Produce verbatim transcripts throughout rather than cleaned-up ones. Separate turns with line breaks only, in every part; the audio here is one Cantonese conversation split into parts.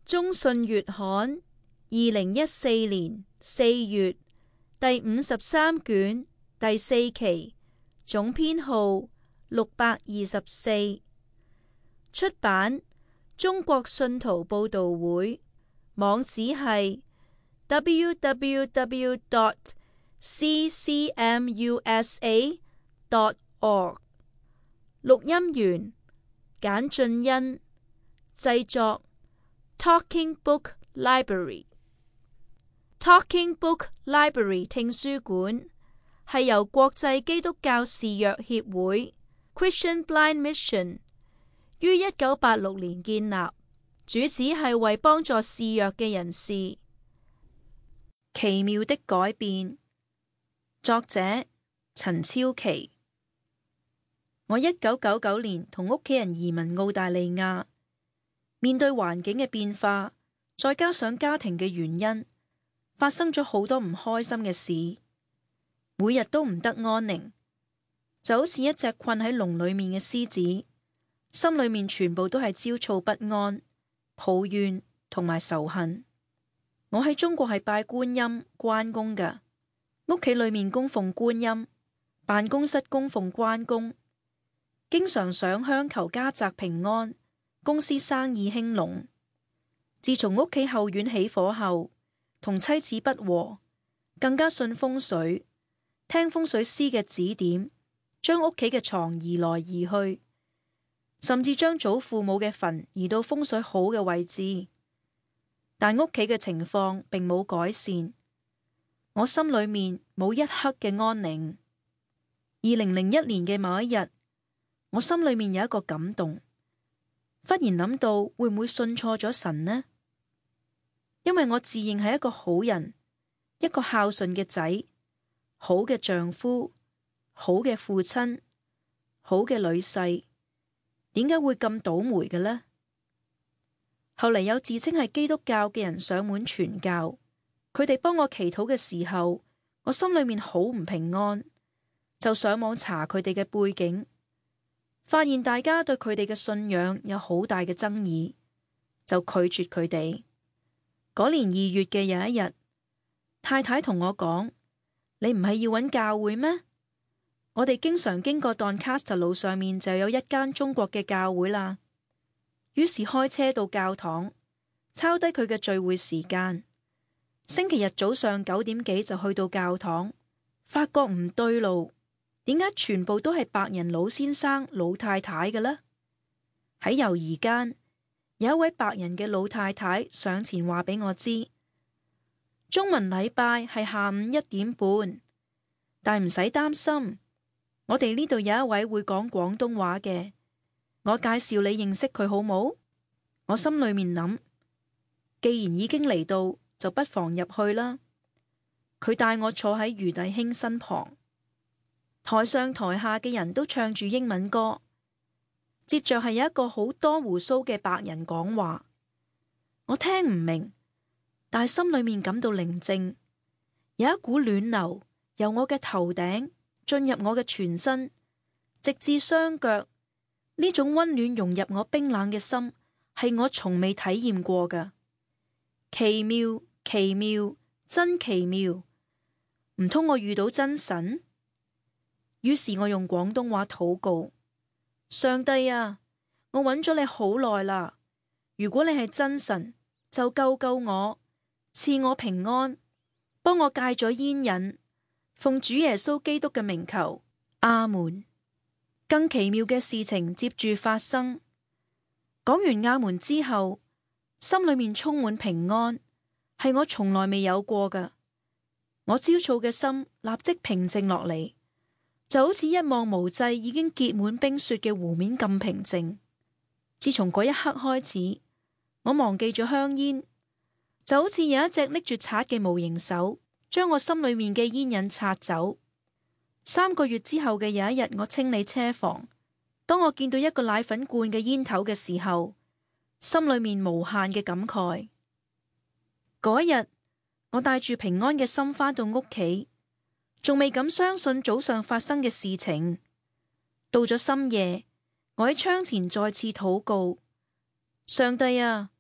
中信月刊二零一四年四月第五十三卷第四期，總編號六百二十四，出版中國信徒報道會，網址係 double-u double-u double-u dot c c m u s a dot org。 錄音員簡俊恩，製作 Talking Book Library。 Talking Book Library 聽書館係由國際基督教視約協會 Christian Blind Mission 於一九八六年建立，主旨係為幫助視弱嘅人士。奇妙的改變，作者陳超琪。我一九九九年同屋企人移民澳大利亞，面對環境嘅變化，再加上家庭嘅原因，發生咗好多唔開心嘅事，每日都唔得安寧，就好似一隻困喺籠裏面嘅獅子，心裏面全部都係焦躁不安、抱怨同埋仇恨。我喺中國係拜觀音、關公㗎，屋企裏面供奉觀音，辦公室供奉關公，經常上香求家宅平安，公司生意興隆。自從屋企後院起火後，同妻子不和，更加信風水，聽風水師嘅指點，將屋企嘅床移來移去，甚至將祖父母嘅墳移到風水好嘅位置。但屋企嘅情況並冇改善，我心裏面冇一刻嘅安寧。二零零一年嘅某一日，我心裏面有一個感動，忽然諗到會唔會信錯咗神呢？因為我自認係一個好人，一個孝順嘅仔，好嘅丈夫，好嘅父親，好嘅女婿，點解會咁倒霉嘅呢？後嚟有自稱係基督教嘅人上門傳教，佢哋幫我祈禱嘅時候，我心裏面好唔平安，就上網查佢哋嘅背景，發現大家對佢哋嘅信仰有好大嘅爭議，就拒絕佢哋。嗰年二月嘅有一日，太太同我講：你唔係要揾教會咩？我哋經常經過 Doncaster 路上面就有一間中國嘅教會啦。於是開車到教堂，抄低佢嘅聚會時間。星期日早上九點幾就去到教堂，發覺唔對路，點解全部都係白人老先生、老太太嘅呢？喺猶豫間，有一位白人嘅老太太上前話俾我知，中文禮拜係下午一點半，但唔使擔心，我哋呢度有一位會講廣東話嘅，我介紹你認識佢好冇？我心裏面諗，既然已經嚟到，就不妨入去啦。佢帶我坐喺余弟兄身旁，台上台下嘅人都唱住英文歌。接着係有一個好多鬍鬚嘅白人講話，我聽唔明，但係心裏面感到寧靜，有一股暖流由我嘅頭頂進入我嘅全身，直至雙腳。呢種溫暖融入我冰冷嘅心，係我從未體驗過嘅。奇妙，奇妙，真奇妙！唔通我遇到真神？於是我用廣東話禱告。上帝啊，我揾咗你好耐啦！如果你係真神，就救救我，賜我平安，幫我戒咗煙癮，奉主耶穌基督嘅名求，阿門。更奇妙嘅事情接住發生。講完阿門之後，心裏面充滿平安，係我從來未有過㗎。我焦躁嘅心立即平靜落嚟。就好似一望無際已經結滿冰雪嘅湖面咁平靜。自從嗰一刻開始，我忘記咗香煙，就好似有一隻拎住刷嘅無形手，將我心裏面嘅煙癮刷走。三個月之後嘅有一日，我清理車房，當我見到一個奶粉罐嘅煙頭嘅時候，心裏面無限嘅感慨。嗰日，我帶住平安嘅心返到屋企，仲未敢相信早上發生嘅事情。到咗深夜，我喺窗前再次禱告：上帝啊，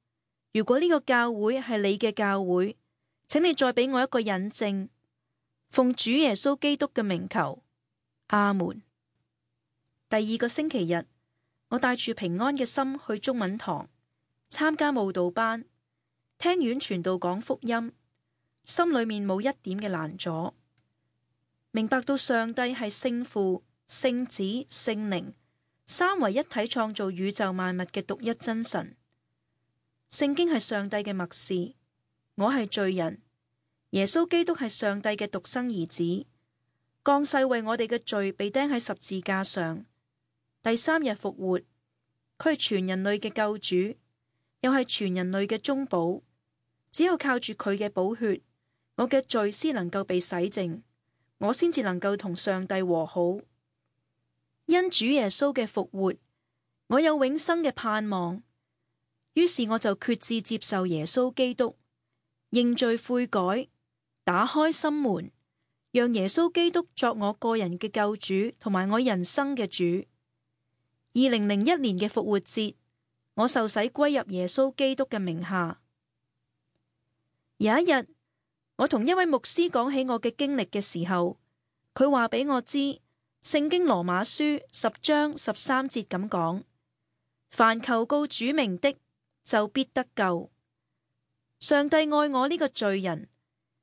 如果呢個教會係你嘅教會，請你再俾我一個引證。奉主耶穌基督嘅名求，阿門。第二個星期日，我帶住平安嘅心去中文堂參加慕道班，聽院傳道講福音，心裏面冇一點嘅攔阻，明白到上帝係聖父、聖子、聖靈三位一體創造宇宙萬物嘅獨一真神。聖經係上帝嘅默示，我係罪人，耶穌基督係上帝嘅獨生兒子，降世為我哋嘅罪被釘喺十字架上，第三日復活。佢係全人類嘅救主，又係全人類嘅中保。只有靠住佢嘅寶血，我嘅罪先能夠被洗淨，我先至能夠同上帝和好。因主耶穌嘅復活，我有永生嘅盼望。於是我就決志接受耶穌基督，認罪悔改，打開心門，讓耶穌基督作我個人嘅救主同埋我人生嘅主。二零零一年嘅復活節，我受洗歸入耶穌基督嘅名下。有一日，我同一位牧師講起我嘅經歷嘅時候，佢話俾我知，聖經羅馬書十章十三節咁講：凡求告主名的，就必得救。上帝愛我呢個罪人，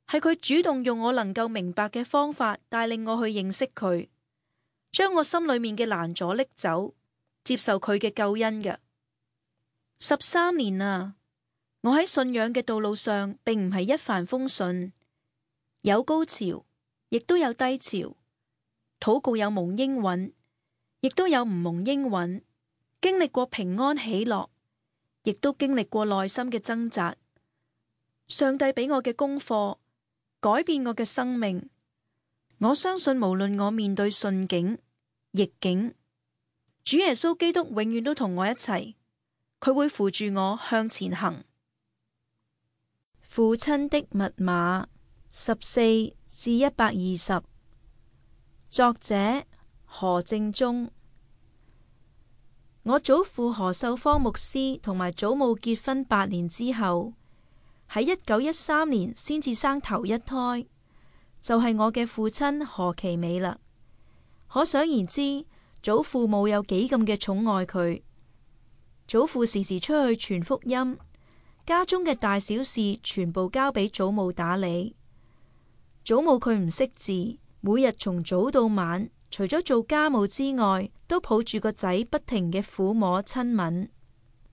係佢主動用我能夠明白嘅方法帶領我去認識佢，將我心裏面嘅攔阻拎走，接受佢嘅救恩嘅。十三年啊，我喺信仰嘅道路上並唔係一帆風順，有高潮，亦都有低潮，禱告有蒙應允，亦都有唔蒙應允，經歷過平安喜樂，亦都經歷過內心嘅掙扎。上帝俾我嘅功課，改變我嘅生命。我相信無論我面對順境、逆境，主耶穌基督永遠都同我一齊，佢會扶住我向前行。父親的密碼十四至一百二十，作者何正忠。我祖父何秀芳牧師同埋祖母結婚八年之後，喺一九一三年先至生頭一胎，就係我嘅父親何其美啦。可想而知，祖父母有幾咁嘅寵愛佢。祖父時時出去傳福音，家中嘅大小事全部交俾祖母打理。祖母佢唔識字，每日從早到晚，除咗做家務之外，都抱住個仔不停嘅撫摸親吻。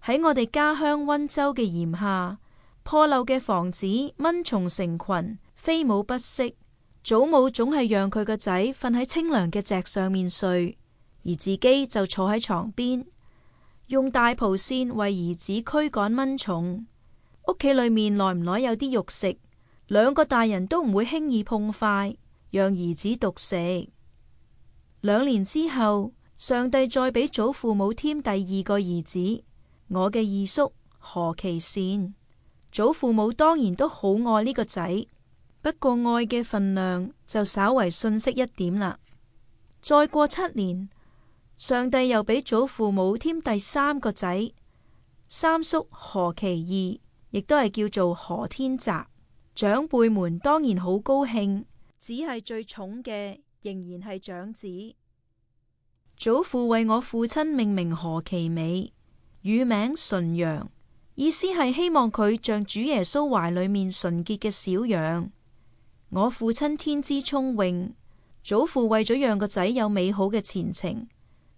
喺我哋家鄉溫州嘅炎夏，破漏嘅房子蚊蟲成群，飛舞不息。祖母總係讓佢個仔瞓喺清涼嘅席上面睡，而自己就坐喺床邊，用大蒲扇為兒子驅趕蚊蟲。屋企裏面耐唔耐有啲肉食，兩個大人都唔會輕易碰筷，讓兒子獨食。兩年之後，上帝再俾祖父母添第二個兒子，我嘅二叔何其善。祖父母當然都好愛呢個仔，不過愛嘅份量就稍為遜色一點啦。再過七年，上帝又俾祖父母添第三個仔，三叔何其義，亦都係叫做何天澤。長輩們當然好高興，只係最寵嘅仍然係長子。祖父為我父親命名何其美，乳名純陽，意思係希望佢像主耶穌懷裏面純潔嘅小羊。我父親天資聰穎，祖父為咗讓個仔有美好嘅前程，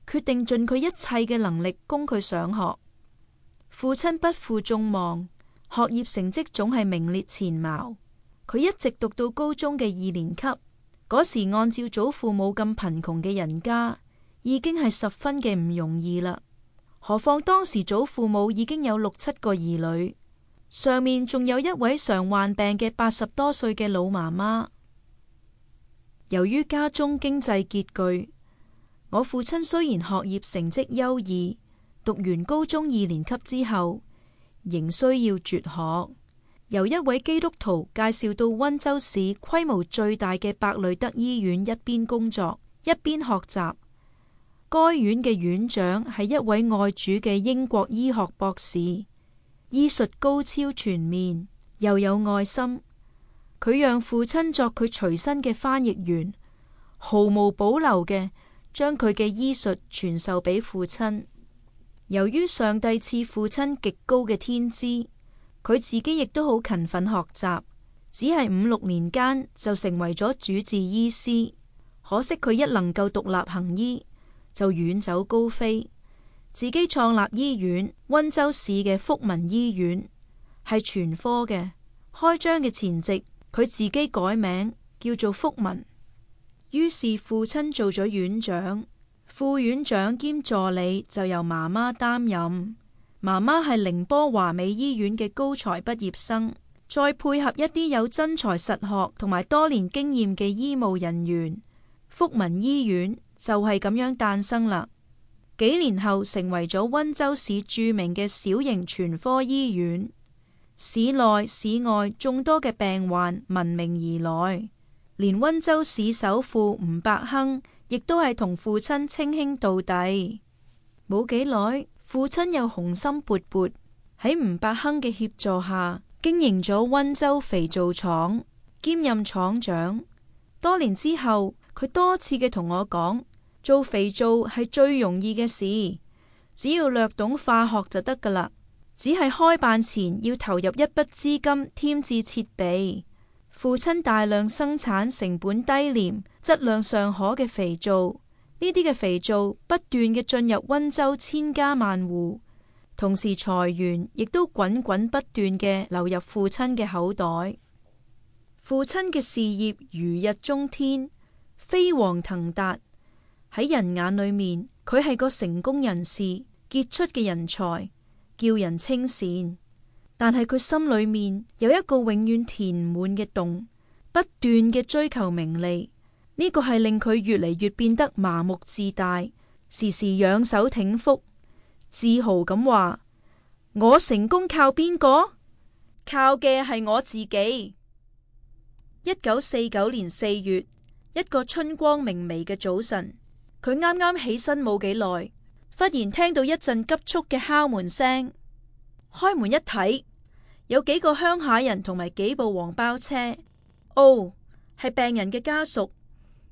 決定盡佢一切嘅能力供佢上學。父親不負眾望，學業成績總係名列前茅。佢一直讀到高中嘅二年級，嗰時按照祖父母咁貧窮嘅人家，已經係十分嘅唔容易啦。何況當時祖父母已經有六七個兒女，上面仲有一位常患病嘅八十多歲嘅老媽媽。由於家中經濟拮據，我父親雖然學業成績優異，讀完高中二年級之後，仍需要輟學，由一位基督徒介紹到溫州市規模最大嘅伯雷德醫院一邊工作，一邊學習。該院嘅院長係一位愛主嘅英國醫學博士，二醫術高超全面，又有愛心。佢讓父親作佢隨身嘅翻譯員，毫無保留嘅將佢嘅醫術傳授俾父親。由於上帝賜父親極高嘅天資，佢自己亦都好勤奮學習，只係五六年間就成為咗主治醫師。可惜佢一能夠獨立行醫，就遠走高飛，自己創立醫院，溫州市嘅福民醫院，係全科嘅。開張嘅前夕，佢自己改名叫做福民。於是父親做咗院長，副院長兼助理就由媽媽擔任。媽媽係寧波華美醫院嘅高才畢業生，再配合一啲有真才實學同埋多年經驗嘅醫務人員，福民醫院就係咁樣誕生啦。幾年後成為咗溫州市著名嘅小型全科醫院，市內市外眾多嘅病患聞名而來，連溫州市首富吳伯亨亦都係同父親稱兄道弟。冇幾耐，父親又雄心勃勃，喺吳伯亨嘅協助下經營咗溫州肥皂廠，兼任廠長。多年之後，佢多次嘅同我講，做肥皂係最容易嘅事，只要略懂化學就得噶啦。只係開辦前要投入一筆資金添置設備。父親大量生產成本低廉、質量尚可嘅肥皂，呢啲嘅肥皂不斷嘅進入溫州千家萬戶，同時財源亦都滾滾不斷嘅流入父親嘅口袋。父親嘅事業如日中天，飛黃騰達。喺人眼裏面，佢係個成功人士，傑出嘅人才，叫人稱羨。但係佢心裏面有一個永遠填唔滿嘅洞，不斷嘅追求名利，呢個係令佢越嚟越變得麻木自大，時時仰首挺腹，自豪咁話：我成功靠邊個？靠嘅係我自己。一九四九年四月，一個春光明媚嘅早晨，佢啱啱起身冇幾耐，忽然聽到一陣急促嘅敲門聲。開門一睇，有幾個鄉下人同埋幾部黃包車。哦，係病人嘅家屬，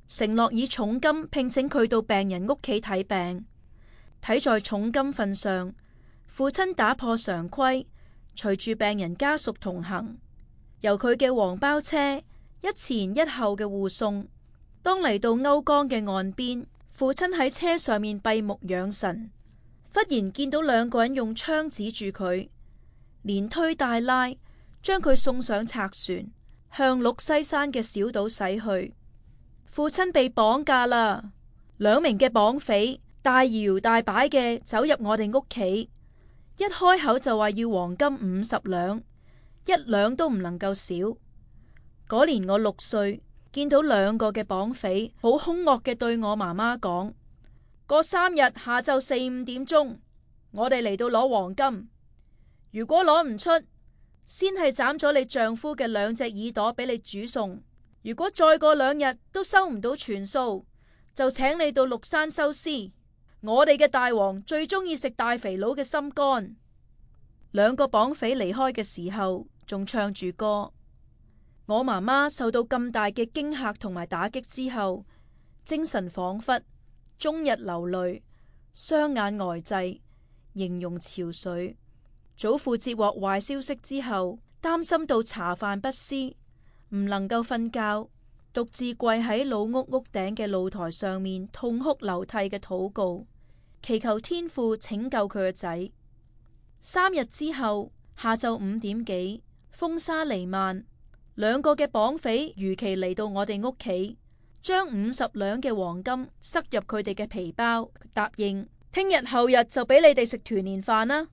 承諾以重金聘請佢到病人屋企睇病。睇在重金份上，父親打破常規，隨住病人家屬同行，由佢嘅黃包車一前一後嘅護送。當嚟到甌江嘅岸邊，父親喺車上面閉目養神，忽然見到兩個人用槍指住佢，連推帶拉將佢送上賊船，向鹿西山嘅小島駛去。父親被綁架啦！兩名嘅綁匪大搖大擺嘅走入我哋屋企，一開口就話要黃金五十兩，一兩都唔能夠少。嗰年我六歲，見到兩個嘅綁匪好兇惡嘅對我媽媽講：過三日下晝四五點鐘，我哋嚟到攞黃金。如果攞唔出，先係斬咗你丈夫嘅兩隻耳朵俾你煮餸。如果再過兩日都收唔到全數，就請你到鹿山收屍。我哋嘅大王最中意食大肥佬嘅心肝。兩個綁匪離開嘅時候，仲唱住歌。我媽媽受到咁大嘅驚嚇同埋打擊之後，精神恍惚，終日流淚，雙眼呆滯，形容憔悴。祖父接獲壞消息之後，擔心到茶飯不思，唔能夠瞓覺，獨自跪喺老屋屋頂嘅露台上面痛哭流涕嘅禱告，祈求天父拯救佢個仔。三日之後，下晝五點幾，風沙彌漫，兩個嘅綁匪如期嚟到我哋屋企，將五十兩嘅黃金塞入佢哋嘅皮包，答應聽日後日就俾你哋食團年飯啦。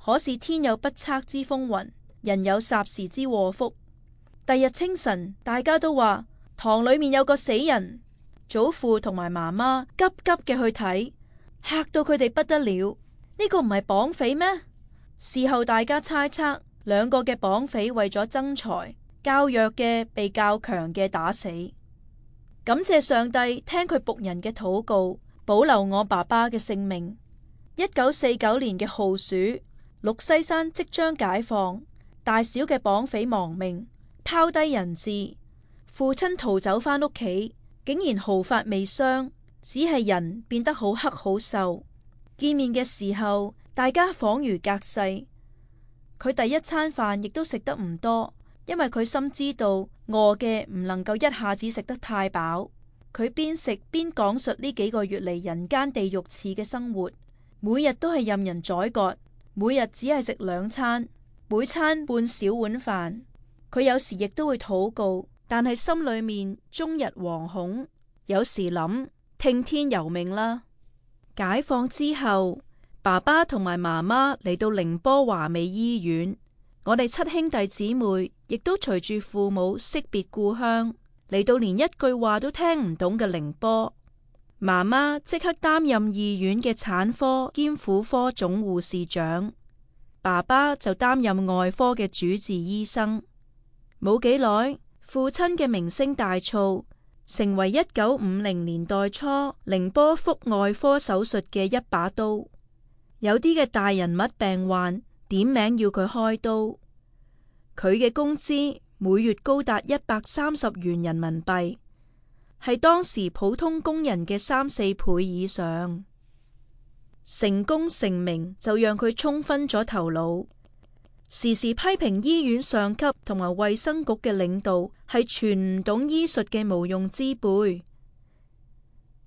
可是天有不測之風雲，人有霎時之禍福。第日清晨，大家都話堂裏面有個死人，祖父同埋媽媽急急嘅去睇，嚇到佢哋不得了。呢個唔係綁匪咩？事後大家猜測，兩個嘅綁匪為咗爭財，較弱嘅被較強嘅打死。感謝上帝聽佢僕人嘅禱告，保留我爸爸嘅性命。一九四九年嘅酷暑，鹿西山即將解放，大小嘅綁匪亡命，拋低人質。父親逃走返屋企，竟然毫髮未傷，只係人變得好黑好瘦。見面嘅時候，大家恍如隔世。佢第一餐飯亦都食得唔多，因為佢深知道餓嘅唔能夠一下子食得太飽。佢邊食邊講述呢幾個月嚟人間地獄似嘅生活，每日都係任人宰割，每日只係食兩餐，每餐半小碗飯。佢有時亦都會禱告，但係心裏面終日惶恐，有時諗聽天由命啦。解放之後，爸爸同埋媽媽嚟到寧波華美醫院，我哋七兄弟姊妹亦都隨住父母惜別故鄉，嚟到連一句話都聽唔懂嘅寧波。媽媽即刻擔任醫院嘅產科兼婦科總護士長，爸爸就擔任外科嘅主治醫生。冇幾耐，父親嘅名聲大噪，成為一九五零年代初寧波腹外科手術嘅一把刀。有啲嘅大人物病患點名要佢開刀，佢嘅工資每月高達一百三十元人民幣，係當時普通工人嘅三四倍以上。成功成名就讓佢沖昏咗頭腦，時時批評醫院上級同埋衛生局嘅領導係全唔懂醫術嘅無用之輩，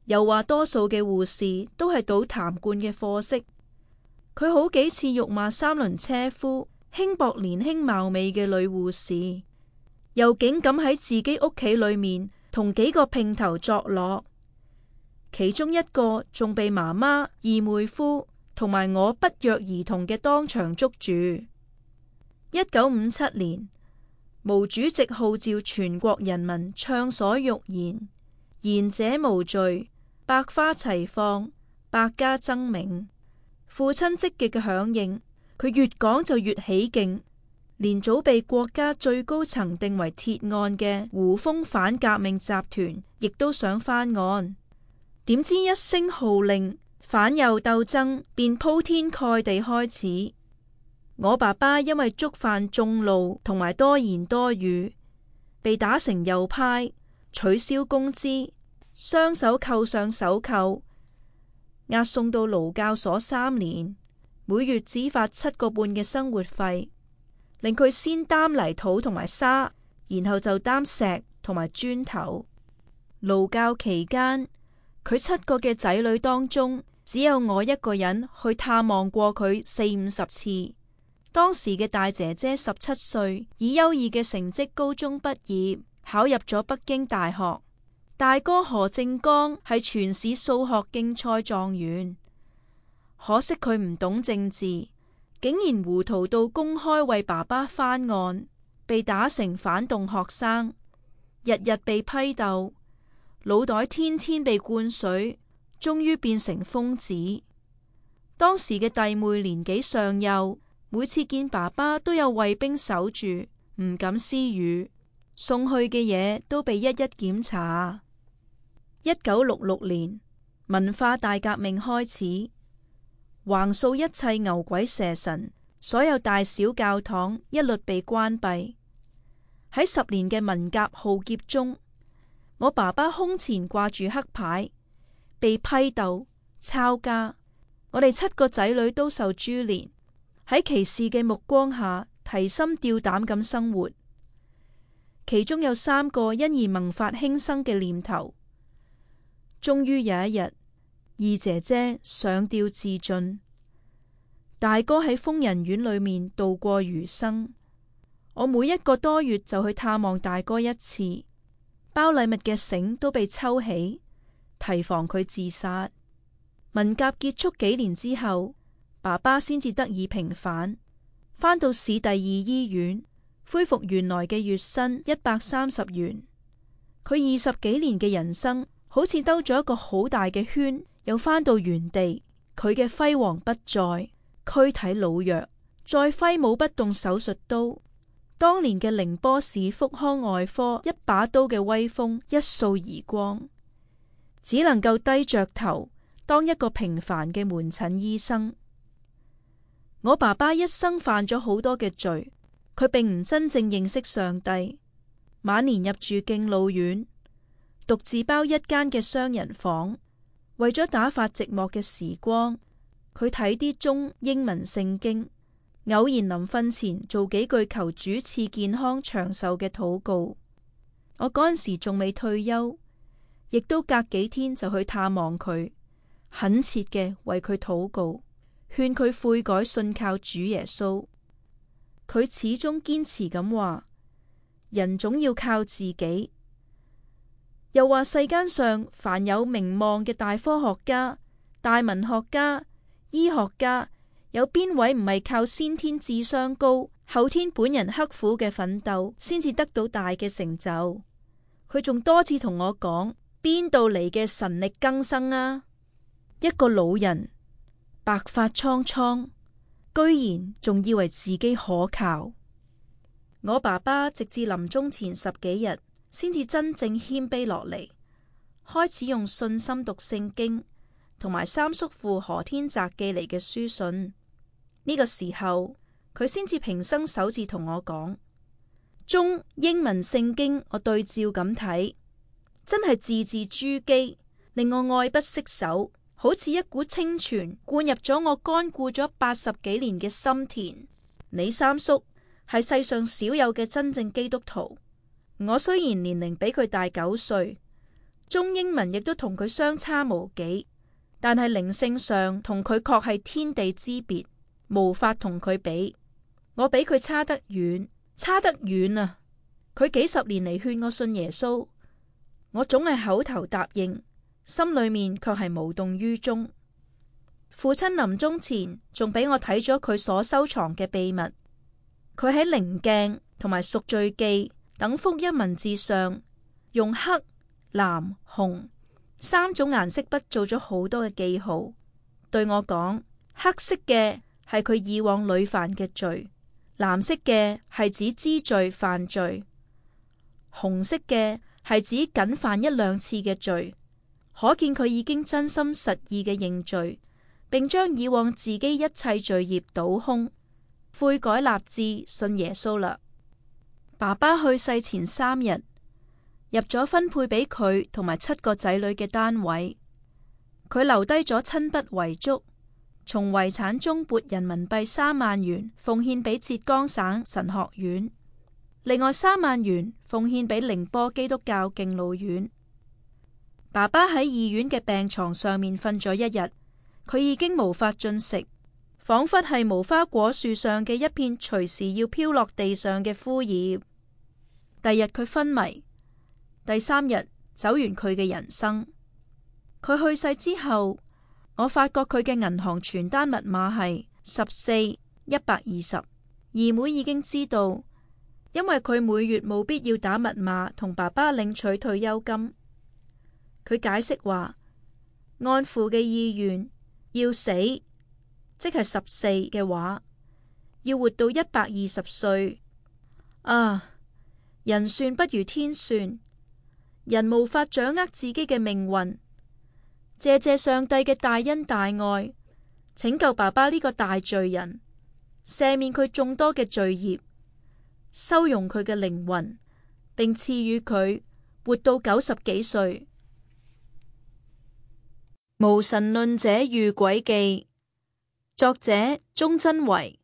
又話多數嘅護士都係倒痰罐嘅貨色。佢好幾次辱罵三輪車夫，輕薄年輕貌美嘅女護士，又竟敢喺自己屋企裏面同幾個姘頭作樂，其中一個仲被媽媽、二妹夫同埋我不約而同嘅當場捉住。一九五七年，毛主席號召全國人民暢所欲言，言者無罪，百花齊放，百家爭鳴。父親積極嘅響應，佢越講就越起勁，連早被國家最高層定為鐵案嘅胡風反革命集團，亦都想翻案。點知一聲號令，反右鬥爭便鋪天蓋地開始。我爸爸因為觸犯眾怒同埋多言多語，被打成右派，取消工資，雙手扣上手銬，押送到勞教所三年，每月只發七個半嘅生活費，令佢先擔泥土同埋沙，然後就擔石同埋磚頭。勞教期間，佢七個嘅仔女當中，只有我一個人去探望過佢四五十次。當時嘅大姐姐十七歲，以優異嘅成績高中畢業，考入咗北京大學。大哥何正剛係全市數學競賽狀元，可惜佢唔懂政治，竟然糊塗到公開為爸爸翻案，被打成反動學生，日日被批鬥，腦袋天天被灌水，終於變成瘋子。當時嘅弟妹年紀尚幼，每次見爸爸都有衛兵守住，唔敢私語，送去嘅嘢都被一一檢查。一九六六年，文化大革命開始，橫掃一切牛鬼蛇神，所有大小教堂一律被關閉。喺十年嘅文革浩劫中，我爸爸胸前掛住黑牌，被批鬥、抄家。我哋七個仔女都受株連，喺歧視嘅目光下提心吊膽咁生活。其中有三個因而萌發輕生嘅念頭。終於有一日，二姐姐上吊自盡，大哥喺瘋人院裏面度過餘生。我每一個多月就去探望大哥一次，包禮物嘅繩都被抽起，提防佢自殺。文革結束幾年之後，爸爸先至得以平反，返到市第二醫院，恢復原來嘅月薪一百三十元。佢二十幾年嘅人生，好似兜咗一個好大嘅圈，又返到原地。佢嘅輝煌不再，軀體老弱，再揮舞不動手術刀。當年嘅寧波市腹腔外科一把刀嘅威風一掃而光，只能夠低着頭當一個平凡嘅門診醫生。我爸爸一生犯咗好多嘅罪，佢並唔真正認識上帝。晚年入住敬老院，獨自包一間嘅雙人房，為咗打發寂寞嘅時光，佢睇啲中英文聖經，偶然臨瞓前做幾句求主賜健康長壽嘅禱告。我嗰陣時仲未退休，亦都隔幾天就去探望佢，懇切嘅為佢禱告，勸佢悔改信靠主耶穌。佢始終堅持咁話，人總要靠自己。又話世間上凡有名望嘅大科學家、大文學家、醫學家，有邊位唔係靠先天智商高，後天本人刻苦嘅奮鬥，先至得到大嘅成就？佢仲多次同我講，邊度嚟嘅神力更生啊？一個老人白髮蒼蒼，居然仲以為自己可靠。我爸爸直至臨終前十幾日，先至真正謙卑落嚟，開始用信心讀聖經，同埋三叔父何天澤寄嚟嘅書信。呢個時候，佢先至平生首次同我講，中英文聖經我對照咁睇，真係字字珠璣，令我愛不釋手，好似一股清泉灌入咗我乾枯咗八十幾年嘅心田。你三叔係世上少有嘅真正基督徒。我雖然年齡比佢大九歲，中英文亦都同佢相差無幾，但係靈性上同佢確係天地之別，無法同佢比。我比佢差得遠，差得遠啊！佢幾十年嚟勸我信耶穌，我總係口頭答應，心裏面卻係無動於衷。父親臨終前仲俾我睇咗佢所收藏嘅秘密，佢喺靈鏡同埋贖罪記等福音文字上，用黑、藍、紅三種顏色筆做咗好多嘅記號，對我講，黑色嘅係佢以往屢犯嘅罪，藍色嘅係指知罪犯罪，紅色嘅係指僅犯一兩次嘅罪，可見佢已經真心實意嘅認罪，並將以往自己一切罪孽倒空，悔改立志信耶穌啦。爸爸去世前三日，入咗分配俾佢同埋七個仔女嘅單位，佢留低咗親筆遺囑，從遺產中撥人民幣三萬元奉獻俾浙江省神學院，另外三萬元奉獻俾寧波基督教敬老院。爸爸喺醫院嘅病床上面瞓咗一日，佢已經無法進食，仿佛係無花果樹上嘅一片隨時要飄落地上嘅枯葉。第日佢昏迷，第三日走完佢嘅人生。佢去世之後，我發覺佢嘅銀行傳單密碼係十四一百二十。二妹已經知道，因為佢每月冇必要打密碼同爸爸領取退休金。佢解釋話，按父嘅意願，要死，即係十四嘅話，要活到一百二十歲。啊！人算不如天算，人無法掌握自己嘅命運。謝謝上帝嘅大恩大愛，拯救爸爸呢個大罪人，赦免佢眾多嘅罪孽，收容佢嘅靈魂，並賜予佢活到九十幾歲。無神論者遇詭記，作者鍾真維。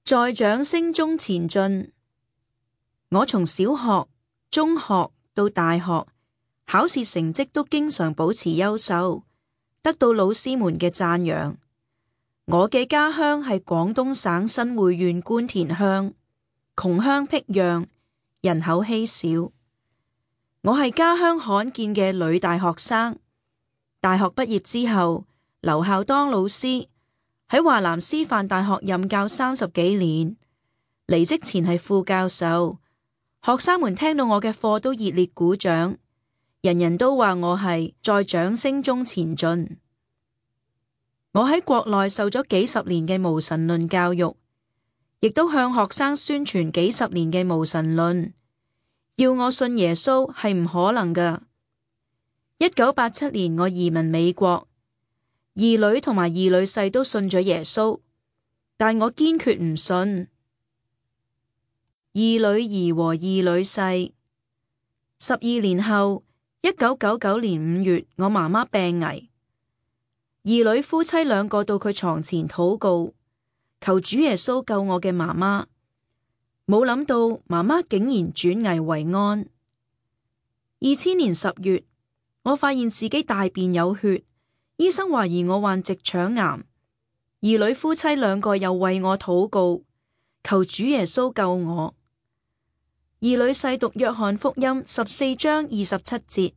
在掌聲中前進。我從小學、中學到大學，考試成績都經常保持優秀，得到老師們嘅讚揚。我嘅家鄉係廣東省新會縣官田鄉，窮鄉僻壤，人口稀少。我係家鄉罕見嘅女大學生。大學畢業之後，留校當老師，喺華南師範大學任教三十幾年。離職前係副教授。學生們聽到我嘅課都熱烈鼓掌，人人都話我係在掌聲中前進。我喺國內受咗幾十年嘅無神論教育，亦都向學生宣傳幾十年嘅無神論。要我信耶穌係唔可能㗎。一九八七年我移民美國，二女同埋二女婿都信咗耶穌。但我堅決唔信。二女兒和二女婿。十二年後，一九九九年五月，我媽媽病危，二女夫妻兩個到佢床前禱告，求主耶穌救我嘅媽媽。冇諗到媽媽竟然轉危為安。二千年十月，我發現自己大便有血，醫生懷疑我患直腸癌。二女夫妻兩個又為我禱告，求主耶穌救我。二女婿讀約翰福音十四章二十七節，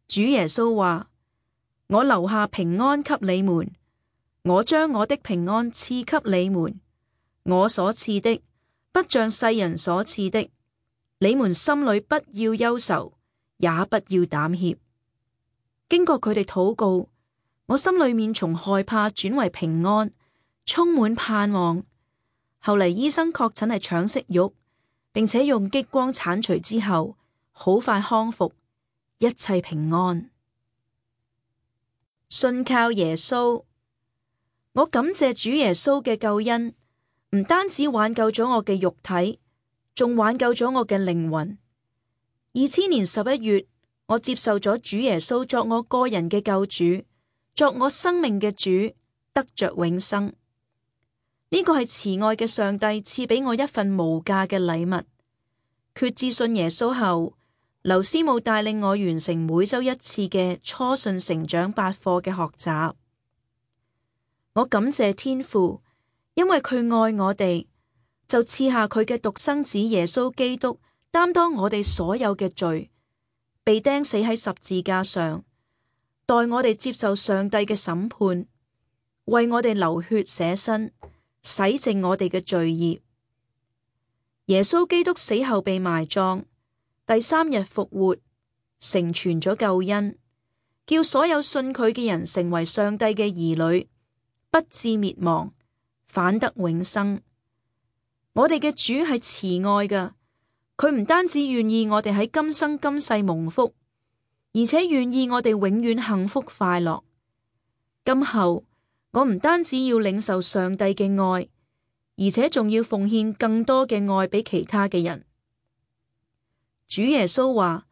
主耶穌話：我留下平安給你們，我將我的平安賜給你們，我所賜的不像世人所賜的，你們心裏不要憂愁，也不要膽怯。經過佢哋禱告，我心裏面從害怕轉為平安，充滿盼望。後嚟醫生確診係腸息肉，並且用激光鏟除之後，好快康復，一切平安。信靠耶穌，我感謝主耶穌嘅救恩，唔單止挽救咗我嘅肉體，仲挽救咗我嘅靈魂。二千年十一月，我接受咗主耶穌作我個人嘅救主，作我生命嘅主，得着永生。呢個係慈愛嘅上帝賜俾我一份無價嘅禮物。決志信耶穌後，劉師母帶領我完成每周一次嘅初信成長百課嘅學習。我感謝天父，因為佢愛我哋，就賜下佢嘅獨生子耶穌基督，擔當我哋所有嘅罪，被釘死喺十字架上，代我哋接受上帝嘅審判，為我哋流血捨身，洗淨我哋嘅罪孽。耶穌基督死後被埋葬，第三日復活，成全咗救恩，叫所有信佢嘅人成為上帝嘅兒女，不致滅亡，反得永生。我哋嘅主係慈愛㗎，佢唔單止願意我哋喺今生今世蒙福，而且願意我哋永遠幸福快樂。今後我唔單止要領受上帝嘅愛，而且仲要奉獻更多嘅愛俾其他嘅人。主耶穌話：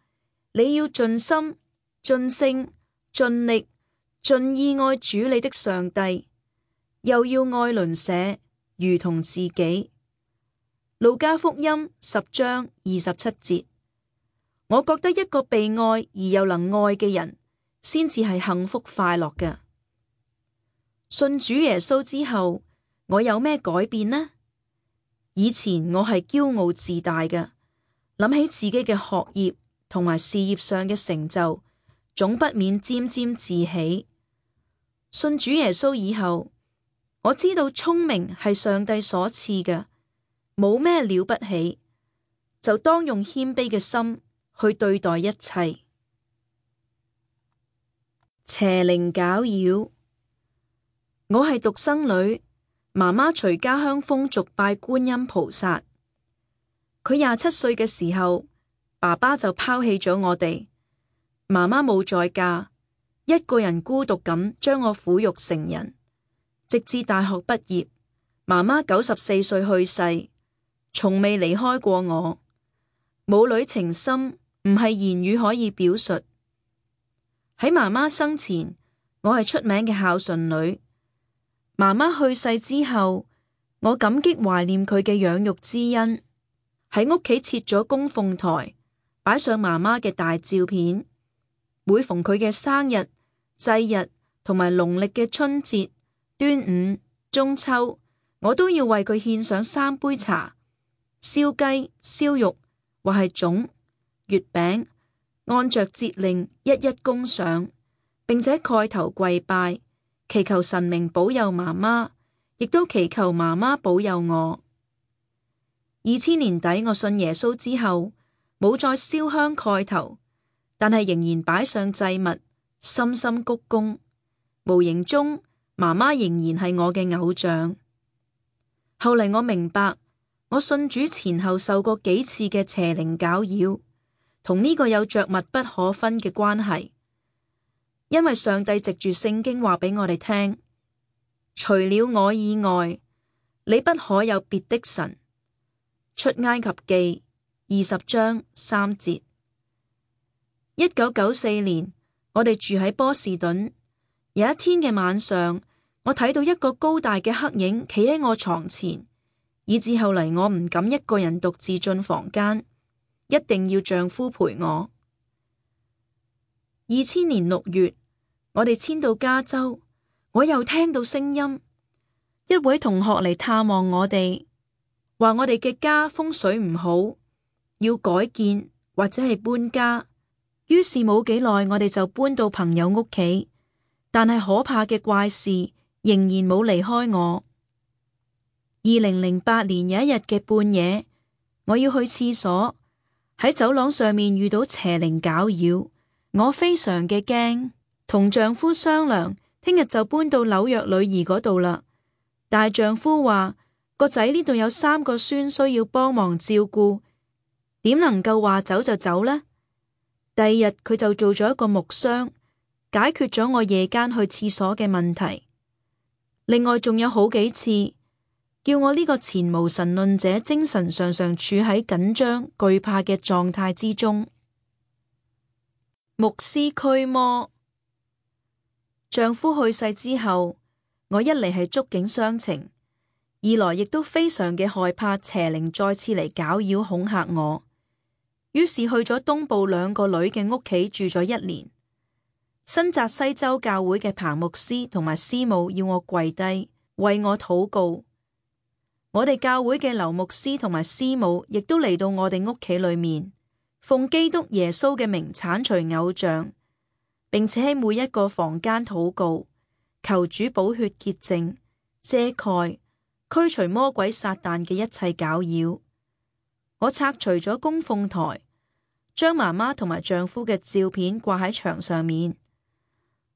你要盡心、盡性、盡力、盡意愛主你的上帝，又要愛鄰舍如同自己。路加福音十章二十七節。我覺得一個被愛而又能愛嘅人，先至係幸福快樂嘅。信主耶穌之後，我有咩改變呢？以前我係驕傲自大嘅，諗起自己嘅學業同埋事業上嘅成就，總不免沾沾自喜。信主耶穌以後，我知道聰明係上帝所賜嘅，冇咩了不起，就當用謙卑嘅心去對待一切。邪靈攪擾。我係獨生女，媽媽隨家鄉風俗拜觀音菩薩。佢廿七歲嘅時候，爸爸就拋棄咗我哋，媽媽冇再嫁，一個人孤獨咁將我撫育成人，直至大學畢業，媽媽九十四歲去世，從未離開過我。母女情深，唔係言語可以表述。喺媽媽生前，我係出名嘅孝順女。媽媽去世之後，我感激懷念佢嘅養育之恩，喺屋企設咗供奉台，擺上媽媽嘅大照片。每逢佢嘅生日、祭日同埋農曆嘅春節、端午、中秋，我都要為佢獻上三杯茶、燒雞、燒肉或係粽、月餅，按着節令一一供上，並且蓋頭跪拜，祈求神明保佑媽媽，亦都祈求媽媽保佑我。二千年底我信耶穌之後，冇再燒香蓋頭，但係仍然擺上祭物，深深鞠躬。無形中，媽媽仍然係我嘅偶像。後嚟我明白，我信主前後受過幾次嘅邪靈攪擾，同呢個有着密不可分嘅關係。因為上帝藉住聖經話俾我哋聽，除了我以外，你不可有別的神。出埃及記二十章三節。一九九四年，我哋住喺波士頓。有一天嘅晚上，我睇到一個高大嘅黑影企喺我床前，以至後嚟我唔敢一個人獨自進房間，一定要丈夫陪我。二千年六月，我哋遷到加州，我又聽到聲音，一位同學嚟探望我哋，話我哋嘅家風水唔好，要改建或者係搬家。於是冇幾耐，我哋就搬到朋友屋企，但係可怕嘅怪事仍然冇離開我。二零零八年有一日嘅半夜，我要去廁所，喺走廊上面遇到邪靈攪擾，我非常嘅驚，同丈夫商量，聽日就搬到紐約女兒嗰度啦。但係丈夫話個仔呢度有三個孫需要幫忙照顧，點能夠話走就走呢？第二日佢就做咗一個木箱，解決咗我夜間去廁所嘅問題。另外仲有好幾次，叫我呢個前無神論者精神常常處喺緊張懼怕嘅狀態之中。牧師驅魔。丈夫去世之後，我一嚟係觸景傷情，二來亦都非常嘅害怕邪靈再次嚟攪擾恐嚇我。於是去咗東部兩個女嘅屋企住咗一年。新澤西州教會嘅彭牧師同埋師母要我跪低為我禱告。我哋教會嘅劉牧師同埋師母亦都嚟到我哋屋企裏面，奉基督耶穌嘅名鏟除偶像，並且喺每一個房間禱告，求主寶血潔淨、遮蓋、驅除魔鬼撒旦嘅一切攪擾。我拆除咗供奉台，將媽媽同埋丈夫嘅照片掛喺牆上面。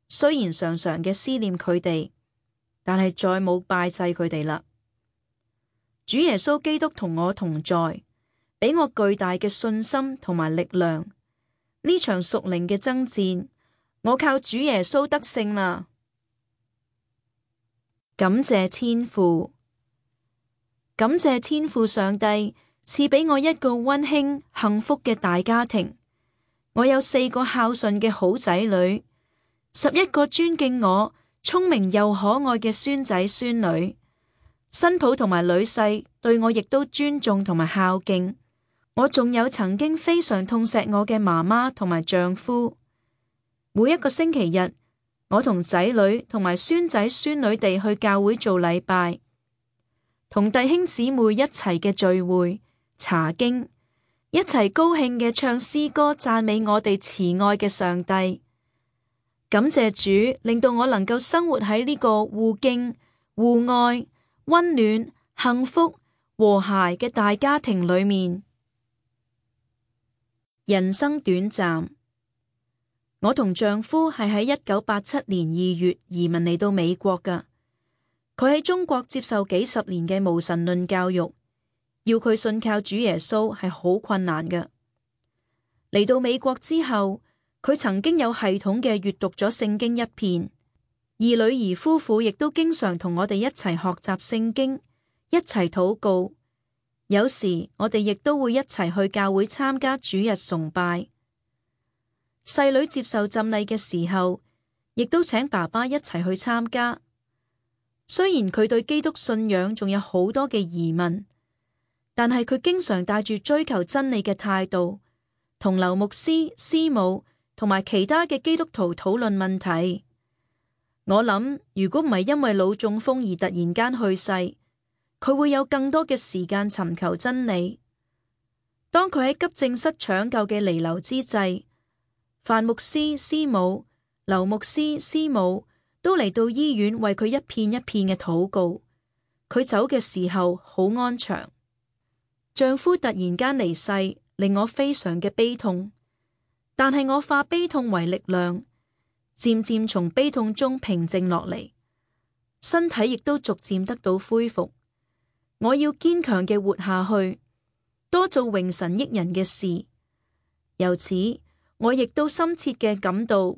雖然常常嘅思念佢哋，但係再冇拜祭佢哋啦。主耶穌基督同我同在，俾我巨大嘅信心同埋力量。呢場屬靈嘅爭戰，我靠主耶穌得勝啦。感謝天父，感謝天父上帝賜俾我一個溫馨幸福嘅大家庭。我有四個孝順嘅好仔女，十一個尊敬我、聰明又可愛嘅孫仔孫女。新抱同埋女婿對我亦都尊重同埋孝敬。我仲有曾經非常痛錫我嘅媽媽同埋丈夫。每一個星期日，我同仔女同埋孫仔孫女哋去教會做禮拜，同弟兄姊妹一齊嘅聚會、查經，一齊高興嘅唱詩歌讚美我哋慈愛嘅上帝。感謝主，令到我能夠生活喺呢個互敬、互愛、溫暖、幸福、和諧嘅大家庭裏面。人生短暫，我同丈夫係喺一九八七年二月移民嚟到美國㗎。佢喺中國接受幾十年嘅無神論教育，要佢信靠主耶穌係好困難㗎。嚟到美國之後，佢曾經有系統嘅閱讀咗聖經一遍，而女兒夫婦亦都經常同我哋一齊學習聖經，一齊禱告。有時我哋亦都會一齊去教會參加主日崇拜。細女接受浸禮嘅時候，亦都請爸爸一齊去參加。雖然佢對基督信仰仲有好多嘅疑問，但係佢經常帶住追求真理嘅態度，同劉牧師、師母同埋其他嘅基督徒討論問題。我諗，如果唔係因為腦中風而突然間去世，佢會有更多嘅時間尋求真理。當佢喺急症室搶救嘅彌留之際，范牧師、師母、劉牧師、師母都嚟到醫院為佢一片一片嘅禱告。佢走嘅時候好安詳。丈夫突然間離世，令我非常嘅悲痛。但係我化悲痛為力量，漸漸從悲痛中平靜落嚟，身體亦都逐漸得到恢復。我要堅強嘅活下去，多做榮神益人嘅事。由此，我亦都深切嘅感到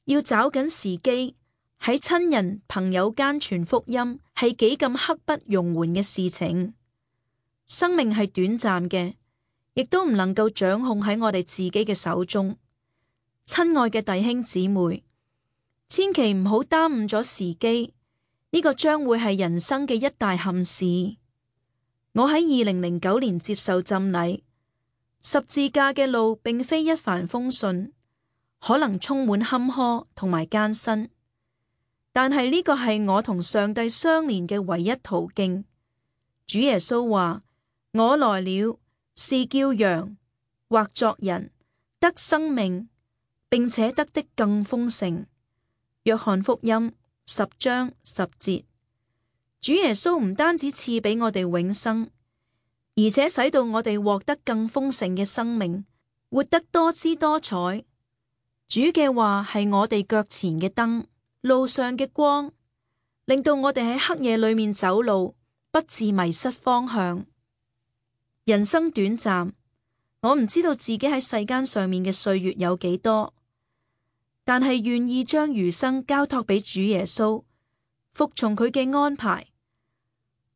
要找緊時機，喺親人朋友間傳福音係幾咁刻不容緩嘅事情。生命係短暫嘅，亦都唔能夠掌控喺我哋自己嘅手中。親愛嘅弟兄姊妹，千祈唔好耽誤咗時機，呢個將會係人生嘅一大憾事。我喺二零零九年接受浸禮，十字架嘅路並非一帆風順，可能充滿坎坷同埋艱辛，但係呢個係我同上帝相連嘅唯一途徑。主耶穌話：我來了，是叫羊或作人得生命，並且得的更豐盛。約翰福音十章十節。主耶穌唔單止賜俾我哋永生，而且使到我哋獲得更豐盛嘅生命，活得多姿多彩。主嘅話係我哋腳前嘅燈，路上嘅光，令到我哋喺黑夜裏面走路，不致迷失方向。人生短暫，我唔知道自己喺世間上面嘅歲月有幾多，但係願意將餘生交託俾主耶穌，服從佢嘅安排。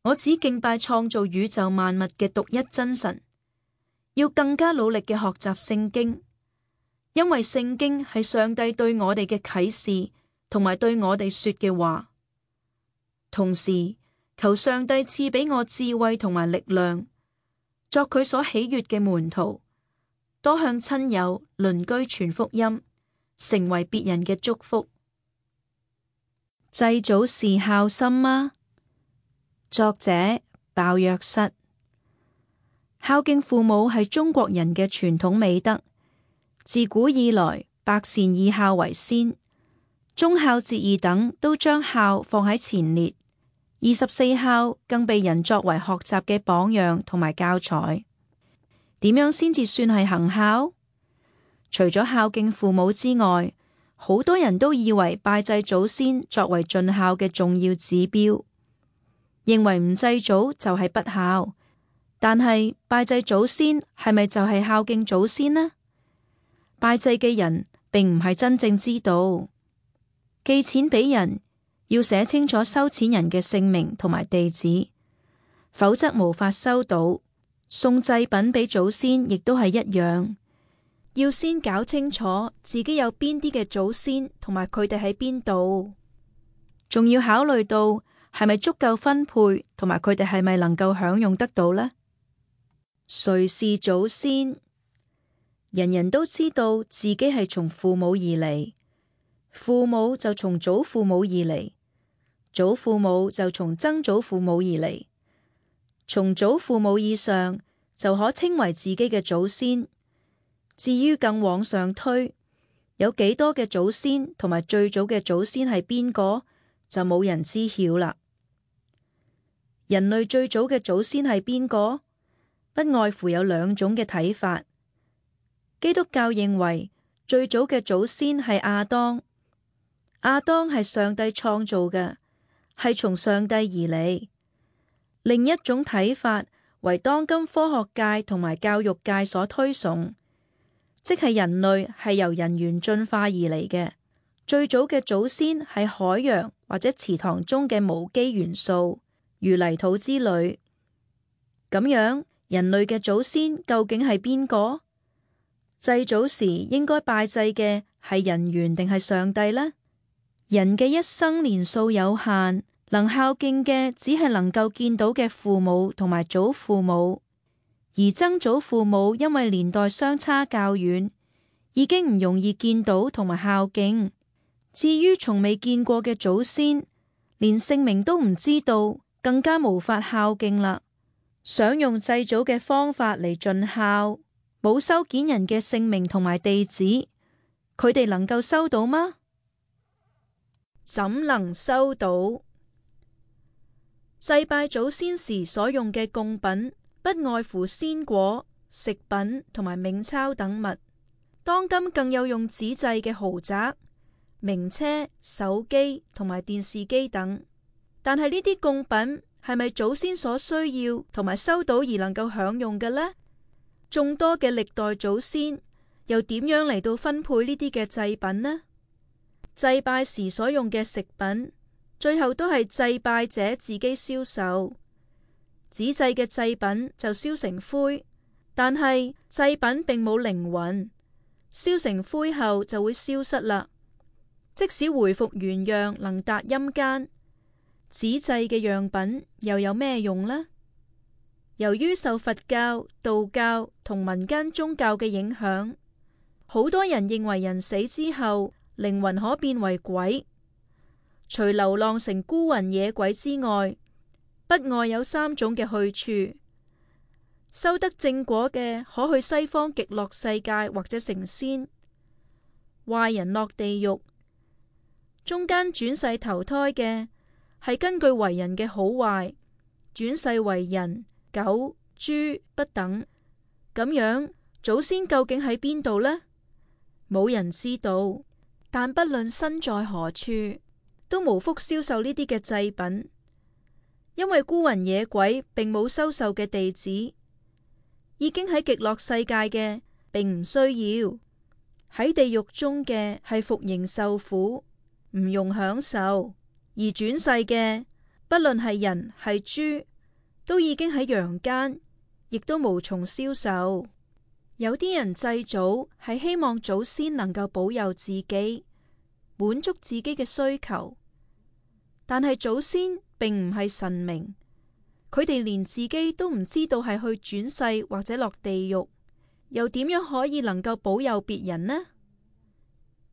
我只敬拜創造宇宙萬物嘅獨一真神，要更加努力嘅學習聖經，因為聖經係上帝對我哋嘅啟示，同埋對我哋說嘅話。同時，求上帝賜俾我智慧同埋力量，作佢所喜悅嘅門徒，多向親友鄰居傳福音，成為別人嘅祝福。祭祖是孝心嗎？作者鮑約瑟。孝敬父母係中國人嘅傳統美德，自古以來，百善以孝為先，忠孝節義等都將孝放喺前列，二十四孝更被人作為學習嘅榜樣同埋教材。點樣先至算係行孝？除咗孝敬父母之外，好多人都以為拜祭祖先作為盡孝嘅重要指標，認為唔祭祖就係不孝。但係拜祭祖先係咪就係孝敬祖先呢？拜祭嘅人並唔係真正知道。寄錢俾人要寫清楚收錢人嘅姓名同埋地址，否則無法收到。送祭品俾祖先亦都係一樣，要先搞清楚自己有邊啲嘅祖先同埋佢哋喺邊度，仲要考慮到係咪足夠分配，同埋佢哋係咪能夠享用得到呢？誰是祖先？人人都知道自己係從父母而嚟，父母就從祖父母而嚟，祖父母就從曾祖父母而嚟，從祖父母以上就可稱為自己嘅祖先。至於更往上推，有幾多嘅祖先同埋最早嘅祖先係邊個，就冇人知曉啦。人類最早嘅祖先係邊個？不外乎有兩種嘅睇法。基督教認為最早嘅祖先係亞當，亞當係上帝創造嘅，係從上帝而嚟。另一種睇法為當今科學界同埋教育界所推崇，即係人類係由人猿進化而嚟嘅，最早嘅祖先係海洋或者池塘中嘅無機元素，如泥土之類。咁樣，人類嘅祖先究竟係邊個？祭祖時應該拜祭嘅係人猿定係上帝呢？人嘅一生年數有限，能孝敬嘅只係能夠見到嘅父母同埋祖父母，而曾祖父母因為年代相差較遠，已經唔容易見到同埋孝敬。至於從未見過嘅祖先，連姓名都唔知道，更加無法孝敬啦。想用祭祖嘅方法嚟盡孝，冇收件人嘅姓名同埋地址，佢哋能夠收到嗎？怎能收到？祭拜祖先時所用嘅供品，不外乎鮮果、食品同埋冥鈔等物。當今更有用紙製嘅豪宅、名車、手機同埋電視機等。但係呢啲供品係咪祖先所需要同埋收到而能夠享用嘅呢？眾多嘅歷代祖先又點樣嚟到分配呢啲嘅祭品呢？祭拜時所用嘅食品，最後都係祭拜者自己燒受。紙製嘅祭品就燒成灰，但係祭品並冇靈魂，燒成灰後就會消失啦。即使回復原樣，能達陰間，紙製嘅樣品又有咩用呢？由於受佛教、道教同民間宗教嘅影響，好多人認為人死之後靈魂可變為鬼。除流浪成孤魂野鬼之外，不外有三種嘅去處。修得正果嘅可去西方極樂世界或者成仙，壞人落地獄。中間轉世投胎嘅係根據為人嘅好壞轉世為人、狗、豬不等。咁樣祖先究竟喺邊度呢？冇人知道。但不論身在何處，都無福燒受呢啲嘅祭品，因為孤魂野鬼並冇收受嘅地址。已經喺極樂世界嘅並唔需要，喺地獄中嘅係服刑受苦，唔用享受。而轉世嘅不論係人係豬，都已經喺陽間，亦都無從消受。有啲人祭祖係希望祖先能夠保佑自己，滿足自己嘅需求，但係祖先並唔係神明，佢哋連自己都唔知道係去轉世或者落地獄，又點樣可以能夠保佑別人呢？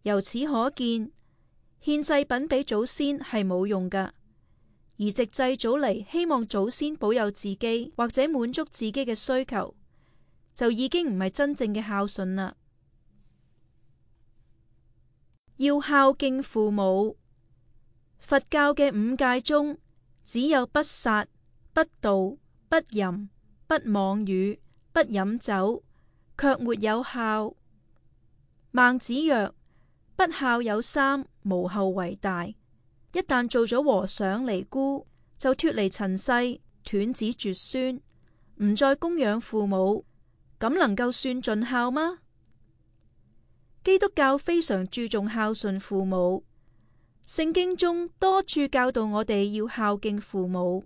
由此可見，獻祭品俾祖先係冇用噶，而藉祭祖嚟希望祖先保佑自己或者滿足自己嘅需求，就已經唔係真正嘅孝順啦。要孝敬父母。佛教嘅五戒中，只有不殺、不盜、不淫、不妄語、不飲酒，卻沒有孝。孟子曰：不孝有三，無後為大。一旦做咗和尚尼姑，就脫離塵世，斷子絕孫，唔再供養父母，咁能夠算盡孝嗎？基督教非常注重孝順父母，聖經中多處教導我哋要孝敬父母，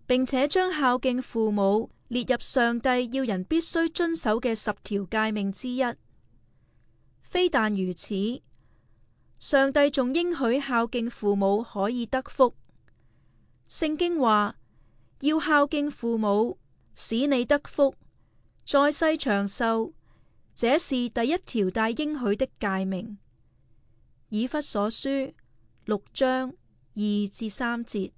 並且將孝敬父母列入上帝要人必須遵守嘅十條誡命之一。非但如此，上帝仲應許孝敬父母可以得福。聖經話要孝敬父母，使你得福，在世長壽。這是第一條帶應許的誡命。以弗所書六章二至三節。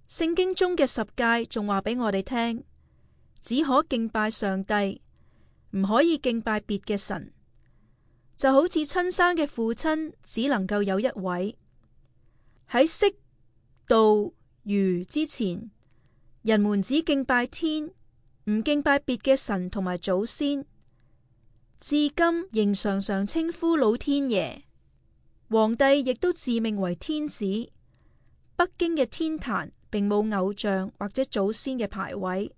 聖經中嘅十誡仲話俾我哋聽，只可敬拜上帝，唔可以敬拜別嘅神。就好似親生嘅父親只能夠有一位。喺識道儒之前，人們只敬拜天，唔敬拜別嘅神同埋祖先。至今仍常常稱呼老天爺，皇帝亦都自命為天子。北京嘅天壇並冇偶像或者祖先嘅牌位，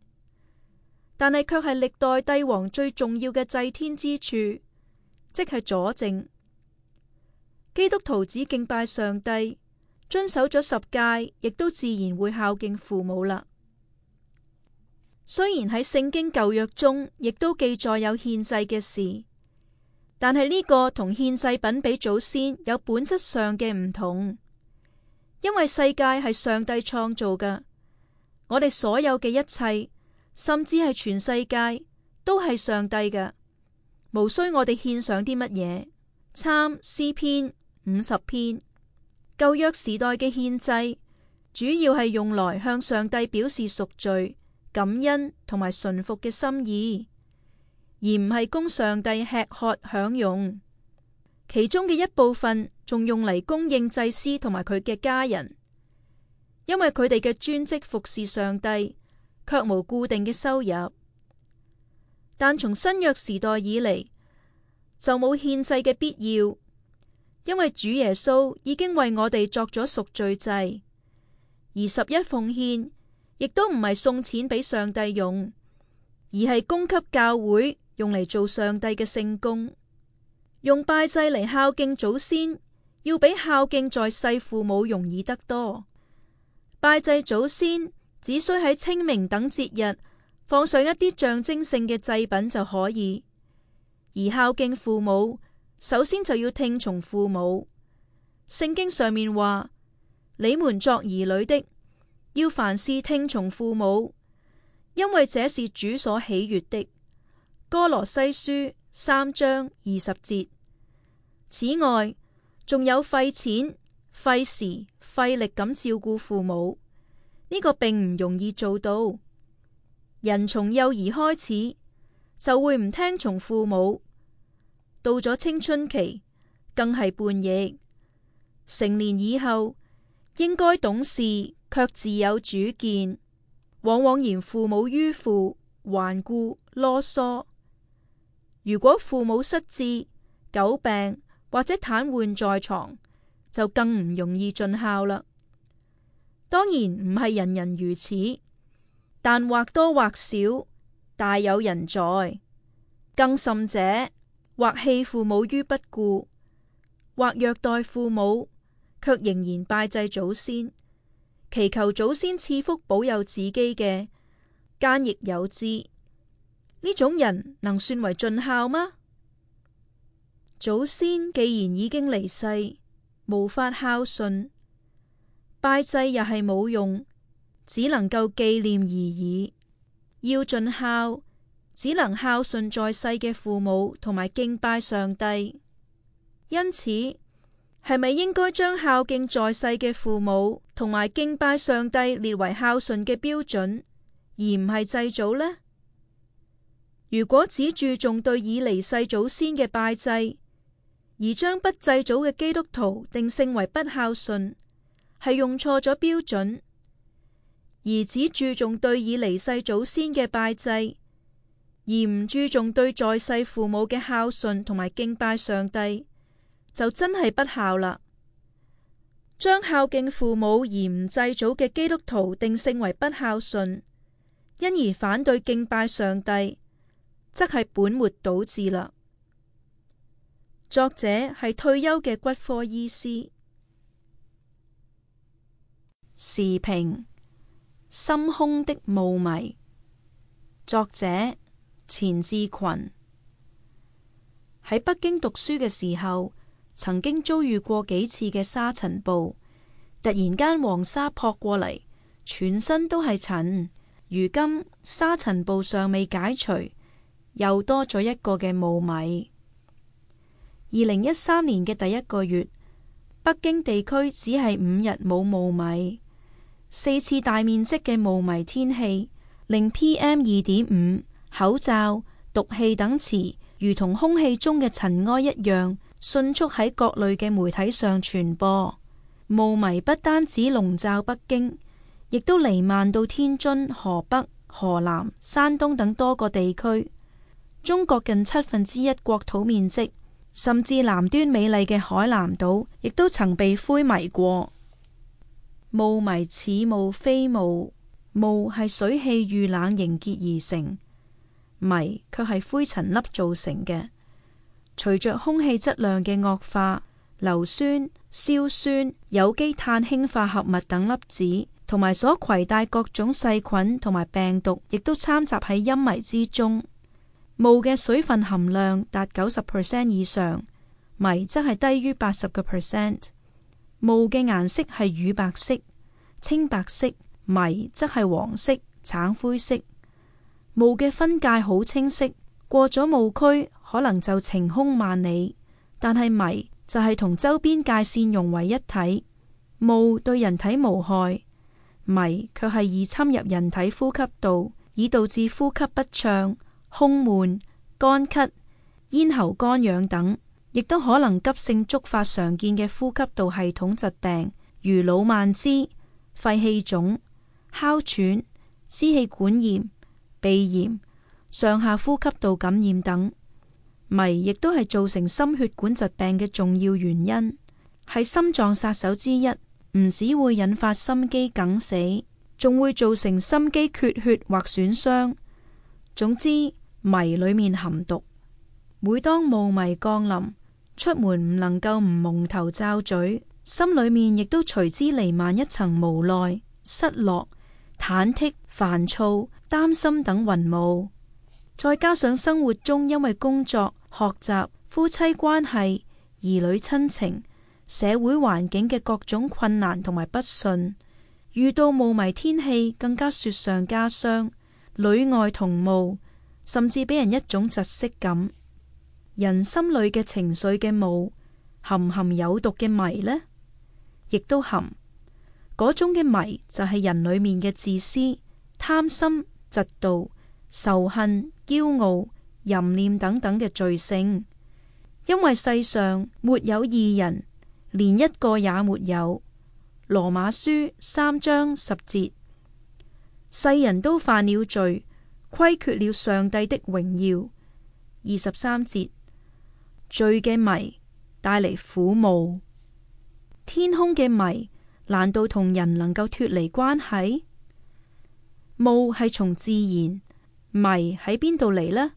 但係卻係歷代帝王最重要嘅祭天之處，即係佐證。基督徒只敬拜上帝，遵守咗十誡，亦都自然會孝敬父母啦。雖然喺聖經舊約中亦都記載有獻祭嘅事，但係呢個同獻祭品俾祖先有本質上嘅唔同。因為世界係上帝創造嘅，我哋所有嘅一切，甚至係全世界都係上帝嘅，無需我哋獻上啲乜嘢。參詩篇五十篇。舊約時代嘅獻祭主要係用來向上帝表示贖罪、感恩同埋順服嘅心意，而唔係供上帝吃喝享用。其中嘅一部分仲用嚟供應祭司同埋佢嘅家人，因為佢哋嘅專職服侍上帝，卻無固定嘅收入。但從新約時代以嚟，就冇獻祭嘅必要，因為主耶穌已經為我哋作咗贖罪祭，而十一奉獻亦都唔係送錢俾上帝用，而係供給教會用嚟做上帝嘅聖工。用拜祭嚟孝敬祖先，要比孝敬在世父母容易得多。拜祭祖先只需喺清明等節日放上一啲象徵性嘅祭品就可以，而孝敬父母首先就要聽從父母。聖經上面話：你們作兒女的，要凡事聽從父母，因為這是主所喜悅的。哥羅西書三章二十節。此外，仲有費錢、費時、費力咁照顧父母，呢個並唔容易做到。人從幼兒開始就會唔聽從父母，到咗青春期更係叛逆，成年以後應該懂事，卻自有主見，往往嫌父母迂腐、頑固、囉嗦。如果父母失智、久病或者癱瘓在床，就更唔容易盡孝啦。當然唔係人人如此，但或多或少大有人在。更甚者，或棄父母於不顧，或虐待父母，卻仍然拜祭祖先，祈求祖先賜福保佑自己嘅，奸亦有之。呢種人能算為盡孝嗎？祖先既然已經離世，無法孝順，拜祭又係冇用，只能夠紀念而已。要盡孝，只能孝順在世嘅父母同埋敬拜上帝。因此，係咪應該將孝敬在世嘅父母同埋敬拜上帝列為孝順嘅標準，而唔係祭祖呢？如果只注重對已離世祖先嘅拜祭，而將不祭祖嘅基督徒定性為不孝順，係用錯咗標準；而只注重對已離世祖先嘅拜祭，而唔注重對在世父母嘅孝順同埋敬拜上帝，就真係不孝啦。將孝敬父母而唔祭祖嘅基督徒定性為不孝順，因而反對敬拜上帝，則係本末倒置啦。作者係退休嘅骨科醫師。時評：心胸的霧霾。作者錢志群。喺北京讀書嘅時候，曾經遭遇過幾次嘅沙塵暴，突然間黃沙撲過嚟，全身都係塵。如今沙塵暴尚未解除，又多咗一個嘅霧霾。二零一三年嘅第一個月，北京地區只係五日冇霧霾，四次大面積嘅霧霾天氣，令 P M 二點五、口罩、毒氣等詞如同空氣中嘅塵埃一樣，迅速喺各類嘅媒體上傳播。霧霾不單止籠罩北京，亦都彌漫到天津、河北、河南、山東等多個地區。中國近七分之一國土面積，甚至南端美麗嘅海南島，亦都曾被灰霾過。霧霾似霧非霧，霧係水汽遇冷凝結而成，霾卻係灰塵粒造成嘅。隨着空氣質量嘅惡化，硫酸、硝酸、有機碳氫化合物等粒子，同埋所攜帶各種細菌同埋病毒，亦都摻雜喺陰霾之中。霧嘅水分含量達九十 percent 以上，霾則係低於八十個 percent。霧嘅顏色係乳白色、青白色，霾則係黃色、橙灰色。霧嘅分界好清晰，過咗霧區可能就晴空萬里，但係霾就係同周邊界線融為一體。霧對人體無害，霾卻係易侵入人體呼吸道，以導致呼吸不暢、胸悶、乾咳、咽喉乾癢等，亦都可能急性觸發常見嘅呼吸道系統疾病，如腦蔓枝、肺氣腫、哮喘、支氣管炎、鼻炎、上下呼吸道感染等。霾亦都係造成心血管疾病嘅重要原因，係心臟殺手之一。唔只會引發心肌梗死，仲會造成心肌缺血或損傷。總之，霾裏面含毒。每當霧霾降臨，出門唔能夠唔蒙頭罩嘴，心裏面亦都隨之彌漫一層無奈、失落、忐忑、煩躁、擔心等雲霧。再加上生活中因為工作、學習、夫妻關係、兒女親情、社會環境嘅各種困難同埋不順，遇到霧霾天氣更加雪上加霜，裏外同霧，甚至俾人一種窒息感。人心裏嘅情緒嘅霧，含唔含有毒嘅霾呢？亦都含。嗰種嘅霾就係人裏面嘅自私、貪心、嫉妒、仇恨、驕傲、淫念等等嘅罪性。因為世上沒有義人，連一個也沒有。羅馬書三章十節。世人都犯了罪，虧缺了上帝的榮耀。二十三節。罪嘅霾帶嚟苦霧，天空嘅霾難道同人能夠脫離關係？霧係從自然，霾喺邊度嚟呢？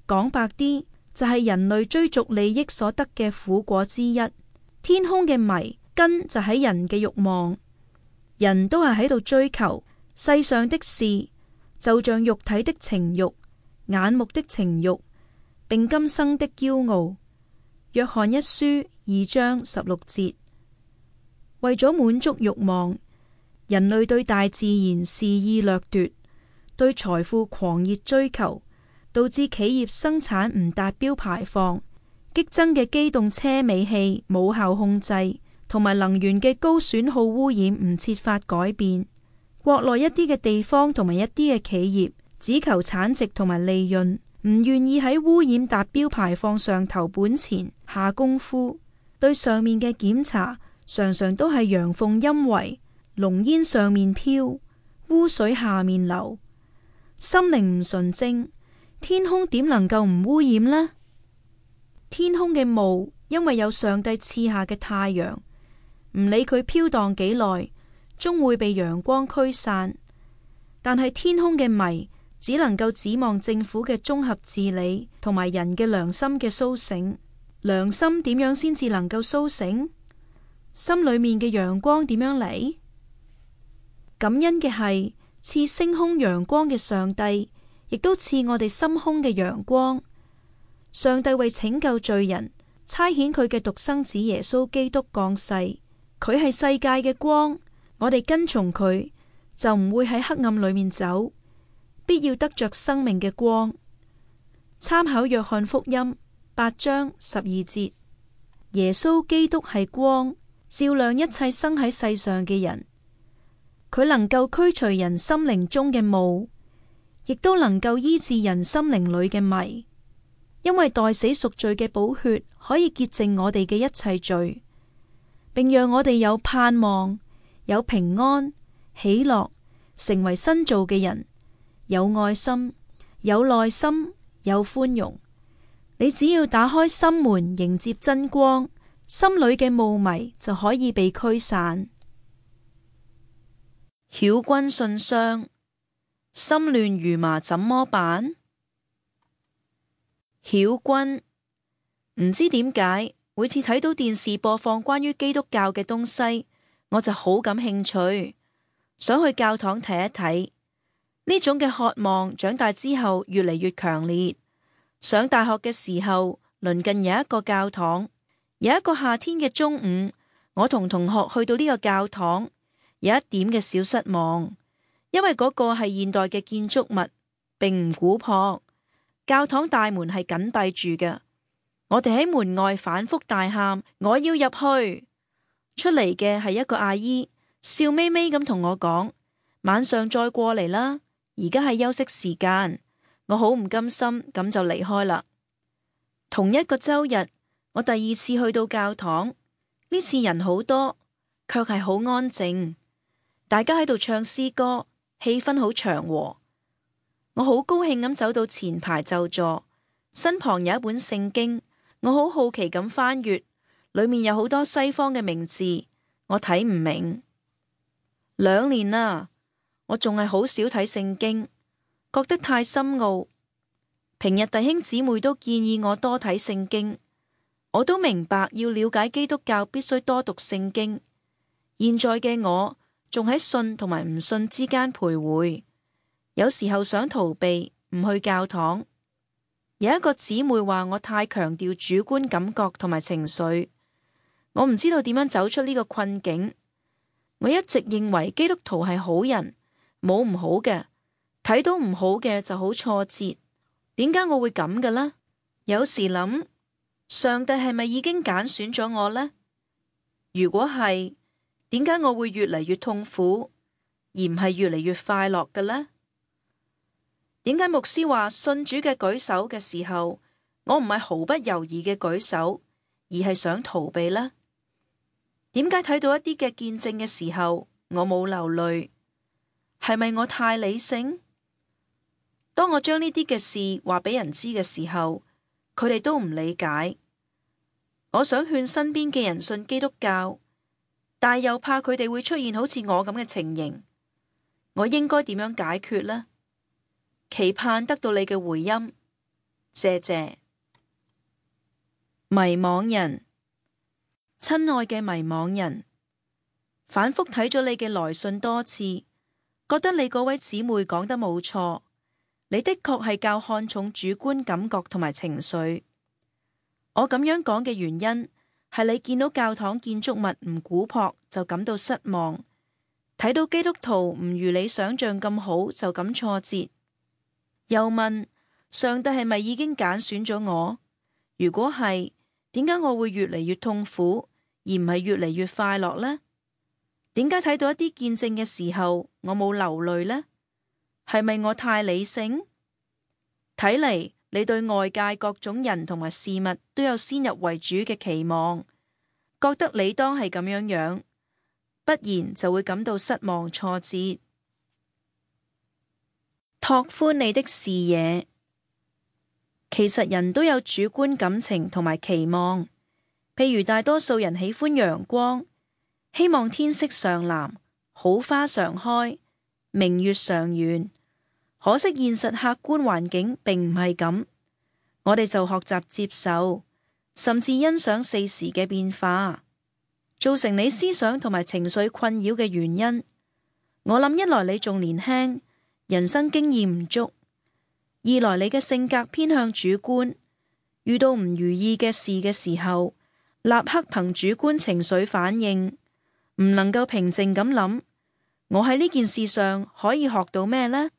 講白啲，就係人類追逐利益所得嘅苦果之一。天空嘅霾根就喺人嘅慾望，人都係喺度追求世上的事，就像肉體的情慾、眼目的情慾，並今生的驕傲。約翰一書二章十六節。為咗滿足慾望，人類對大自然肆意掠奪，對財富狂熱追求，導致企業生產唔達標排放，激增嘅機動車尾氣冇效控制，同埋能源嘅高損耗污染唔設法改變。國內一啲嘅地方同埋一啲嘅企業只求產值同埋利潤，唔願意喺污染達標排放上投本錢下功夫。對上面嘅檢查常常都係陽奉陰違，濃煙上面飄，污水下面流。心靈唔純正，天空點能夠唔污染呢？天空嘅霧因為有上帝賜下嘅太陽，唔理佢飄蕩幾耐，終會被陽光驅散。但係天空嘅霾只能夠指望政府嘅綜合治理同埋人嘅良心嘅蘇醒。良心點樣先至能夠蘇醒？心裏面嘅陽光點樣嚟？感恩嘅係賜星空陽光嘅上帝，亦都賜我哋心胸嘅陽光。上帝為拯救罪人，差遣佢嘅獨生子耶穌基督降世，佢係世界嘅光。我哋跟從佢，就唔會喺黑暗裏面走，必要得着生命嘅光。參考約翰福音八章十二節，耶穌基督係光，照亮一切生喺世上嘅人。佢能夠驅除人心靈中嘅霧，亦都能夠醫治人心靈裏嘅迷。因為代死贖罪嘅寶血可以潔淨我哋嘅一切罪，並讓我哋有盼望、有平安、喜樂，成為新造嘅人，有愛心、有耐心、有寬容。你只要打開心門迎接真光，心裏嘅霧霾就可以被驅散。曉君信箱，心亂如麻怎麼辦？曉君，唔知點解每次睇到電視播放關於基督教嘅東西，我就好感興趣，想去教堂睇一睇。呢種嘅渴望長大之後越嚟越強烈。上大學嘅時候，鄰近有一個教堂。有一個夏天嘅中午，我同同學去到呢個教堂，有一點嘅小失望，因為嗰個係現代嘅建築物，並唔古樸。教堂大門係緊閉住嘅，我哋喺門外反覆大喊：我要入去！出嚟嘅係一個阿姨，笑眯眯咁同我講：晚上再過嚟啦，而家係休息時間。我好唔甘心，咁就離開啦。同一個周日，我第二次去到教堂，呢次人好多，卻係好安靜，大家喺度唱詩歌，氣氛好祥和。我好高興咁走到前排就座，身旁有一本聖經，我好好奇咁翻閱，裏面有好多西方嘅名字，我睇唔明。兩年啦，我仲係好少睇聖經，覺得太深奧。平日弟兄姊妹都建議我多睇聖經，我都明白要了解基督教必須多讀聖經。現在嘅我仲喺信同埋唔信之間徘徊，有時候想逃避，唔去教堂。有一個姊妹話我太強調主觀感覺同埋情緒，我唔知道點樣走出呢個困境。我一直認為基督徒係好人，冇唔好嘅，睇到唔好嘅就好挫折。點解我會咁嘅呢？有時諗，上帝係咪已經揀選咗我呢？如果係，點解我會越嚟越痛苦，而唔係越嚟越快樂嘅呢？點解牧師話信主嘅舉手嘅時候，我唔係毫不猶豫嘅舉手，而係想逃避呢？點解睇到一啲嘅見證嘅時候，我冇流淚？係咪我太理性？當我將呢啲嘅事話俾人知嘅時候，佢哋都唔理解。我想勸身邊嘅人信基督教，但又怕佢哋會出現好似我咁嘅情形。我應該點樣解決呢？期盼得到你嘅回音，謝謝。迷惘人。親愛嘅迷惘人，反覆睇咗你嘅來信多次，覺得你嗰位姊妹講得冇錯，你的確係較看重主觀感覺同埋情緒。我咁樣講嘅原因係你見到教堂建築物唔古樸就感到失望，睇到基督徒唔如你想象咁好就感挫折，又問上帝係咪已經揀選咗我？如果係，點解我會越嚟越痛苦，而唔係越嚟越快樂呢？點解睇到一啲見證嘅時候，我冇流淚呢？係咪我太理性？睇嚟你對外界各種人同埋事物都有先入為主嘅期望，覺得你當係咁樣樣，不然就會感到失望挫折。拓寬你的視野。其實人都有主觀感情同埋期望，譬如大多數人喜歡陽光，希望天色常藍，好花常開，明月常圓。可惜現實客觀環境並唔係咁，我哋就學習接受，甚至欣賞四時嘅變化。造成你思想同埋情緒困擾嘅原因，我諗一來你仲年輕，人生經驗唔足。二來你嘅性格偏向主觀，遇到唔如意嘅事嘅時候，立刻憑主觀情緒反應，唔能夠平靜咁諗，我喺呢件事上可以學到咩呢？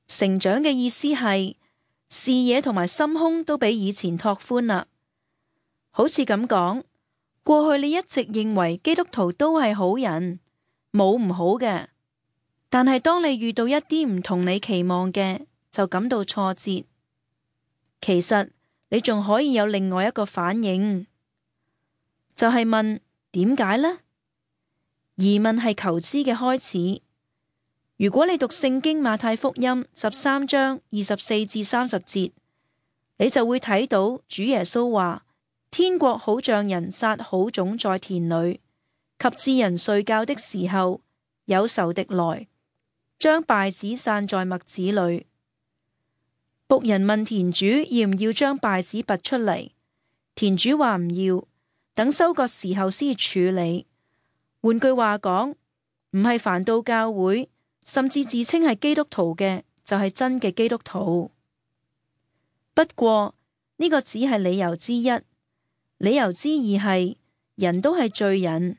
成長嘅意思係視野同埋心胸都比以前拓寬啦。好似咁講，過去你一直認為基督徒都係好人，冇唔好嘅，但係當你遇到一啲唔同你期望嘅，就感到挫折。其實你仲可以有另外一個反應，就係問點解呢？疑問係求知嘅開始。如果你讀聖經馬太福音十三章二十四至三十節，你就會睇到主耶穌話：天國好像人撒好種在田裏，及至人睡覺的時候，有仇敵來，將稗子散在麥子裏。僕人問田主要唔要將稗子拔出嚟，田主話唔要，等收割時候先處理。換句話講，唔係凡到教會，甚至自稱係基督徒嘅，就係真嘅基督徒。不過呢個只係理由之一，理由之二係人都係罪人。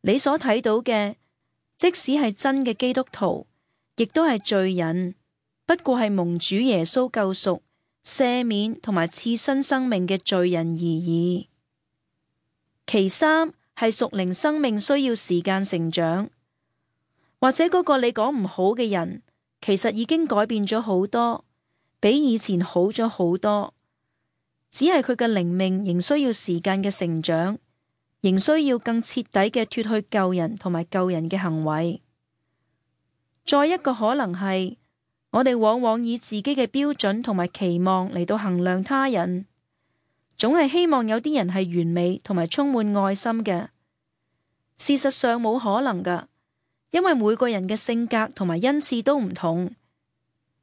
你所睇到嘅，即使係真嘅基督徒，亦都係罪人。不過係蒙主耶穌救贖、赦免同埋賜新生命嘅罪人而已。其三係屬靈生命需要時間成長，或者嗰個你講唔好嘅人，其實已經改變咗好多，比以前好咗好多。只係佢嘅靈命仍需要時間嘅成長，仍需要更徹底嘅脫去舊人同埋舊人嘅行為。再一個可能係，我哋往往以自己嘅標準同埋期望嚟到衡量他人，總係希望有啲人係完美同埋充滿愛心嘅。事實上冇可能㗎，因為每個人嘅性格同埋恩賜都唔同。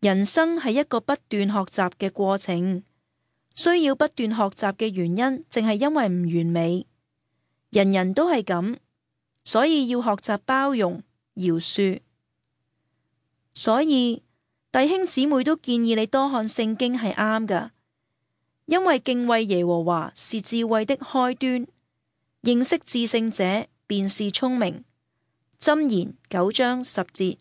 人生係一個不斷學習嘅過程，需要不斷學習嘅原因，正係因為唔完美。人人都係咁，所以要學習包容、饒恕。所以弟兄姊妹都建議你多看聖經係啱㗎，因為敬畏耶和華是智慧的開端，認識至聖者便是聰明。箴言九章十節。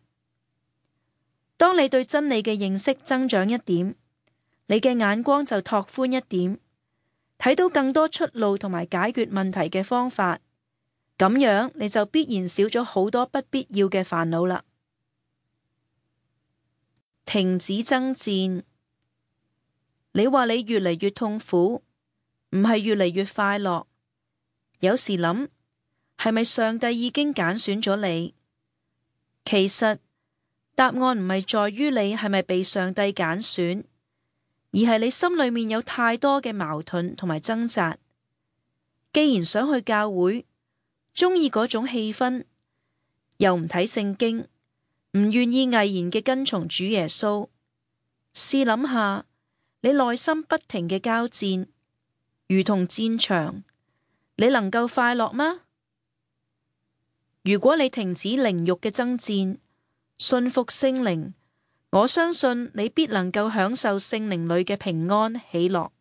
當你對真理嘅認識增長一點，你嘅眼光就拓寬一點，睇到更多出路同埋解決問題嘅方法，咁樣你就必然少咗好多不必要嘅煩惱啦。停止爭戰。你話你越嚟越痛苦，唔係越嚟越快樂。有時諗，係咪上帝已經揀選咗你？其實答案唔係在於你係咪被上帝揀選，而係你心裏面有太多嘅矛盾同埋掙扎。既然想去教會，鍾意嗰種氣氛，又唔睇聖經，唔願意毅然嘅跟從主耶穌，試諗下，你內心不停嘅交戰，如同戰場，你能夠快樂嗎？如果你停止靈慾嘅爭戰，信服聖靈，我相信你必能夠享受聖靈裏嘅平安喜樂。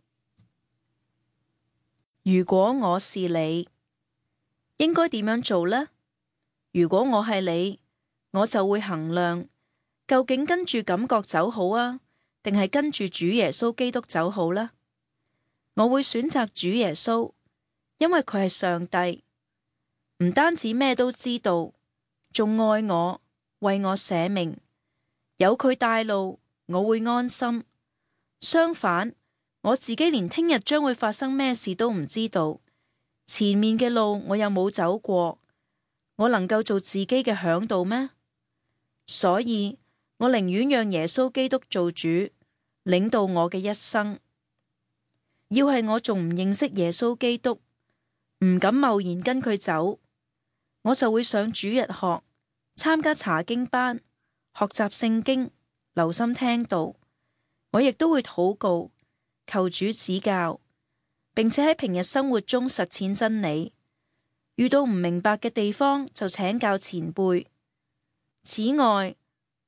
如果我是你，應該點樣做呢？如果我係你，我就會衡量，究竟跟住感覺走好啊，定係跟住主耶穌基督走好呢？我會選擇主耶穌，因為佢係上帝，唔單止咩都知道，仲愛我，為我捨命，有佢帶路，我會安心。相反，我自己連聽日將會發生咩事都唔知道，前面嘅路我又冇走過，我能夠做自己嘅嚮導咩？所以我寧願讓耶穌基督做主，領導我嘅一生。要係我仲唔認識耶穌基督，唔敢貿然跟佢走，我就會上主日學，參加查經班，學習聖經，留心聽道。我亦都會禱告，求主指教，並且喺平日生活中實踐真理。遇到唔明白嘅地方就請教前輩。此外，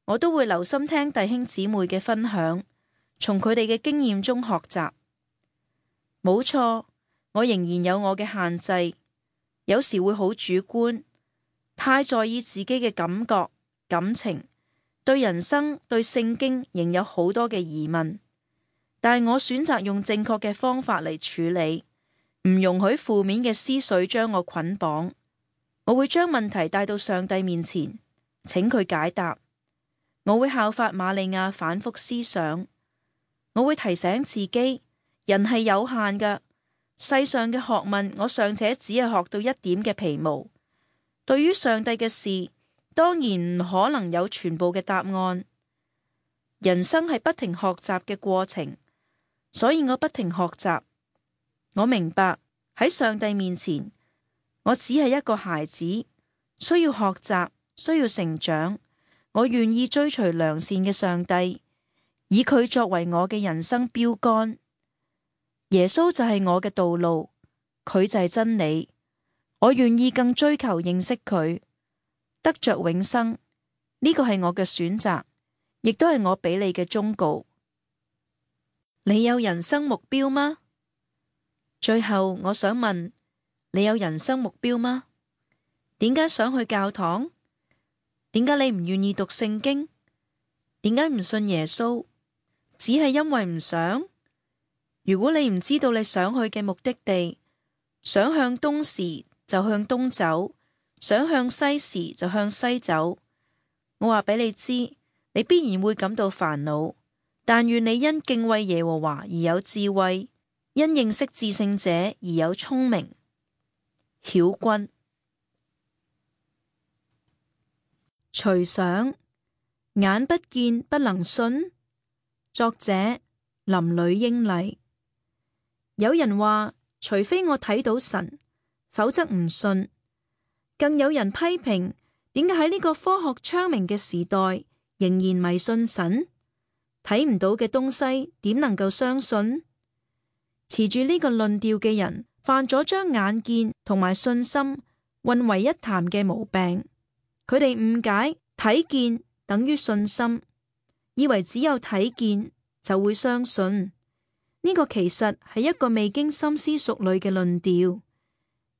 我都會留心聽弟兄姊妹嘅分享，從佢哋嘅經驗中學習。冇錯，我仍然有我嘅限制，有時會好主觀，太在意自己嘅感覺、感情，對人生、對聖經仍有好多嘅疑問。但我選擇用正確嘅方法嚟處理，唔容許負面嘅思緒將我捆綁。我會將問題帶到上帝面前，請佢解答。我會效法瑪利亞反覆思想。我會提醒自己，人係有限㗎，世上嘅學問我尚且只係學到一點嘅皮毛。對於上帝嘅事，當然唔可能有全部嘅答案。人生係不停學習嘅過程，所以我不停學習。我明白喺上帝面前，我只係一個孩子，需要學習，需要成長。我願意追隨良善嘅上帝，以佢作為我嘅人生標杆。耶穌就係我嘅道路，佢就係真理。我願意更追求認識佢，得着永生。呢個係我嘅選擇，亦都係我俾你嘅忠告。你有人生目標嗎？最後我想問，你有人生目標嗎？點解想去教堂？點解你唔願意讀聖經？點解唔信耶穌？只係因為唔想？如果你唔知道你想去嘅目的地，想向東時就向東走，想向西時就向西走，我話俾你知，你必然會感到煩惱。但願你因敬畏耶和華而有智慧，因認識至聖者而有聰明。曉君。隨想眼不見不能信。作者林呂英麗。有人話，除非我睇到神，否則唔信。更有人批評，點解喺呢個科學昌明嘅時代，仍然迷信神？睇唔到嘅東西，點能夠相信？持住呢個論調嘅人，犯咗將眼見同埋信心混為一談嘅毛病。佢哋誤解睇見等於信心，以為只有睇見就會相信。呢個其實係一個未經深思熟慮嘅論調，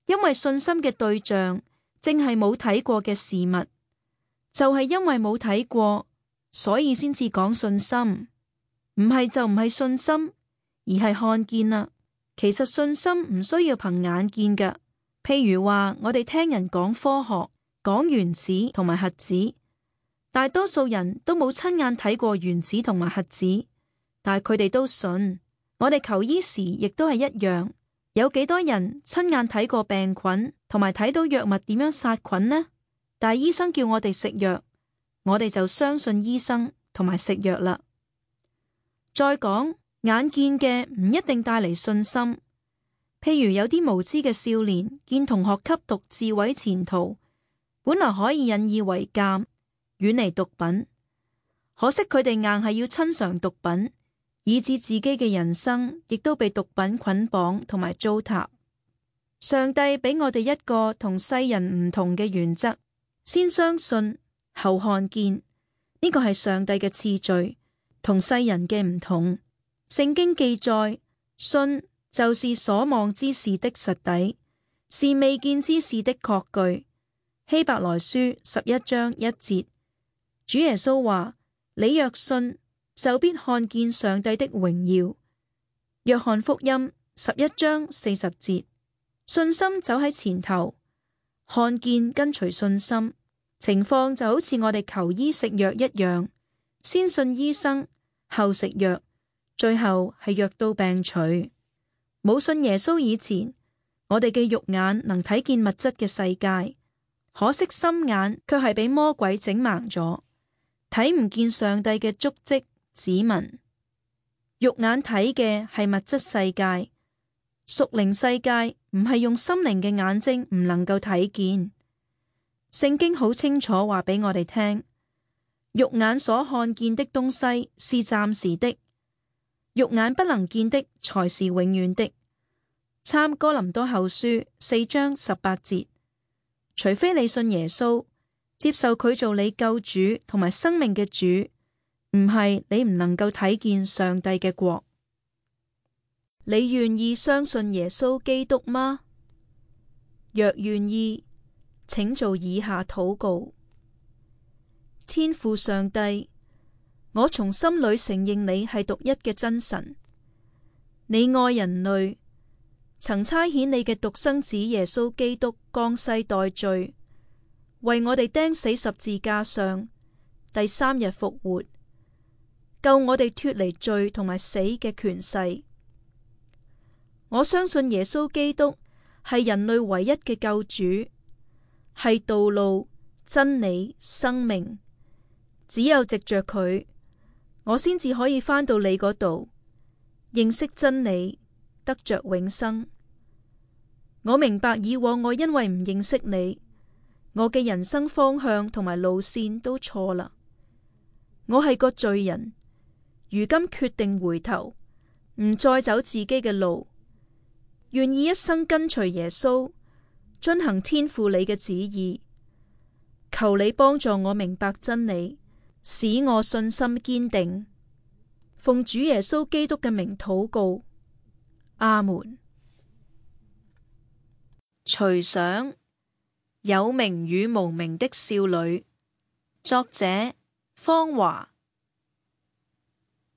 因為信心嘅對象正係冇睇過嘅事物，就係因為冇睇過，所以先至講信心。唔係就唔係信心，而係看見啦。其實信心唔需要憑眼見㗎。譬如話我哋聽人講科學，講原子同埋核子，大多數人都冇親眼睇過原子同埋核子，但係佢哋都信。我哋求醫時亦都係一樣，有幾多人親眼睇過病菌同埋睇到藥物點樣殺菌呢？但係醫生叫我哋食藥，我哋就相信醫生同埋食藥啦。再講，眼見嘅唔一定帶嚟信心。譬如有啲無知嘅少年見同學吸毒自毀前途，本來可以引以為鑑，遠離毒品，可惜佢哋硬係要親嘗毒品，以致自己嘅人生亦都被毒品捆綁同埋糟蹋。上帝俾我哋一個同世人唔同嘅原則，先相信後看見，呢個係上帝嘅次序，同世人嘅唔同。聖經記載，信就是所望之事的實底，是未見之事的確據。希伯來書十一章一節，主耶穌話：你若信，就必看見上帝的榮耀。約翰福音十一章四十節，信心走喺前頭，看見跟隨信心。情況就好似我哋求醫食藥一樣，先信醫生，後食藥，最後係藥到病除。冇信耶穌以前，我哋嘅肉眼能睇見物質嘅世界，可惜心眼卻係俾魔鬼整盲咗，睇唔見上帝嘅足跡指紋。肉眼睇嘅係物質世界，屬靈世界唔係用心靈嘅眼睛唔能夠睇見。聖經好清楚話俾我哋聽，肉眼所看見的東西是暫時的，肉眼不能見的才是永遠的。參哥林多後書四章十八節，除非你信耶穌，接受佢做你救主同埋生命嘅主，唔係你唔能夠睇見上帝嘅國。你願意相信耶穌基督嗎？若願意，請做以下禱告。天父上帝，我從心裏承認你係獨一嘅真神，你愛人類，曾差遣你嘅獨生子耶穌基督降世代罪，為我哋釘死十字架上，第三日復活，救我哋脫離罪同埋死嘅權勢。我相信耶穌基督係人類唯一嘅救主，係道路、真理、生命。只有藉着佢，我先至可以返到你嗰度，認識真理，得着永生。我明白以往我因為唔認識你，我嘅人生方向同埋路線都錯啦。我係個罪人，如今決定回頭，唔再走自己嘅路，願意一生跟隨耶穌，遵行天父你嘅旨意。求你幫助我明白真理，使我信心堅定。奉主耶穌基督嘅名禱告，阿門。隨想有名與無名的少女，作者方華。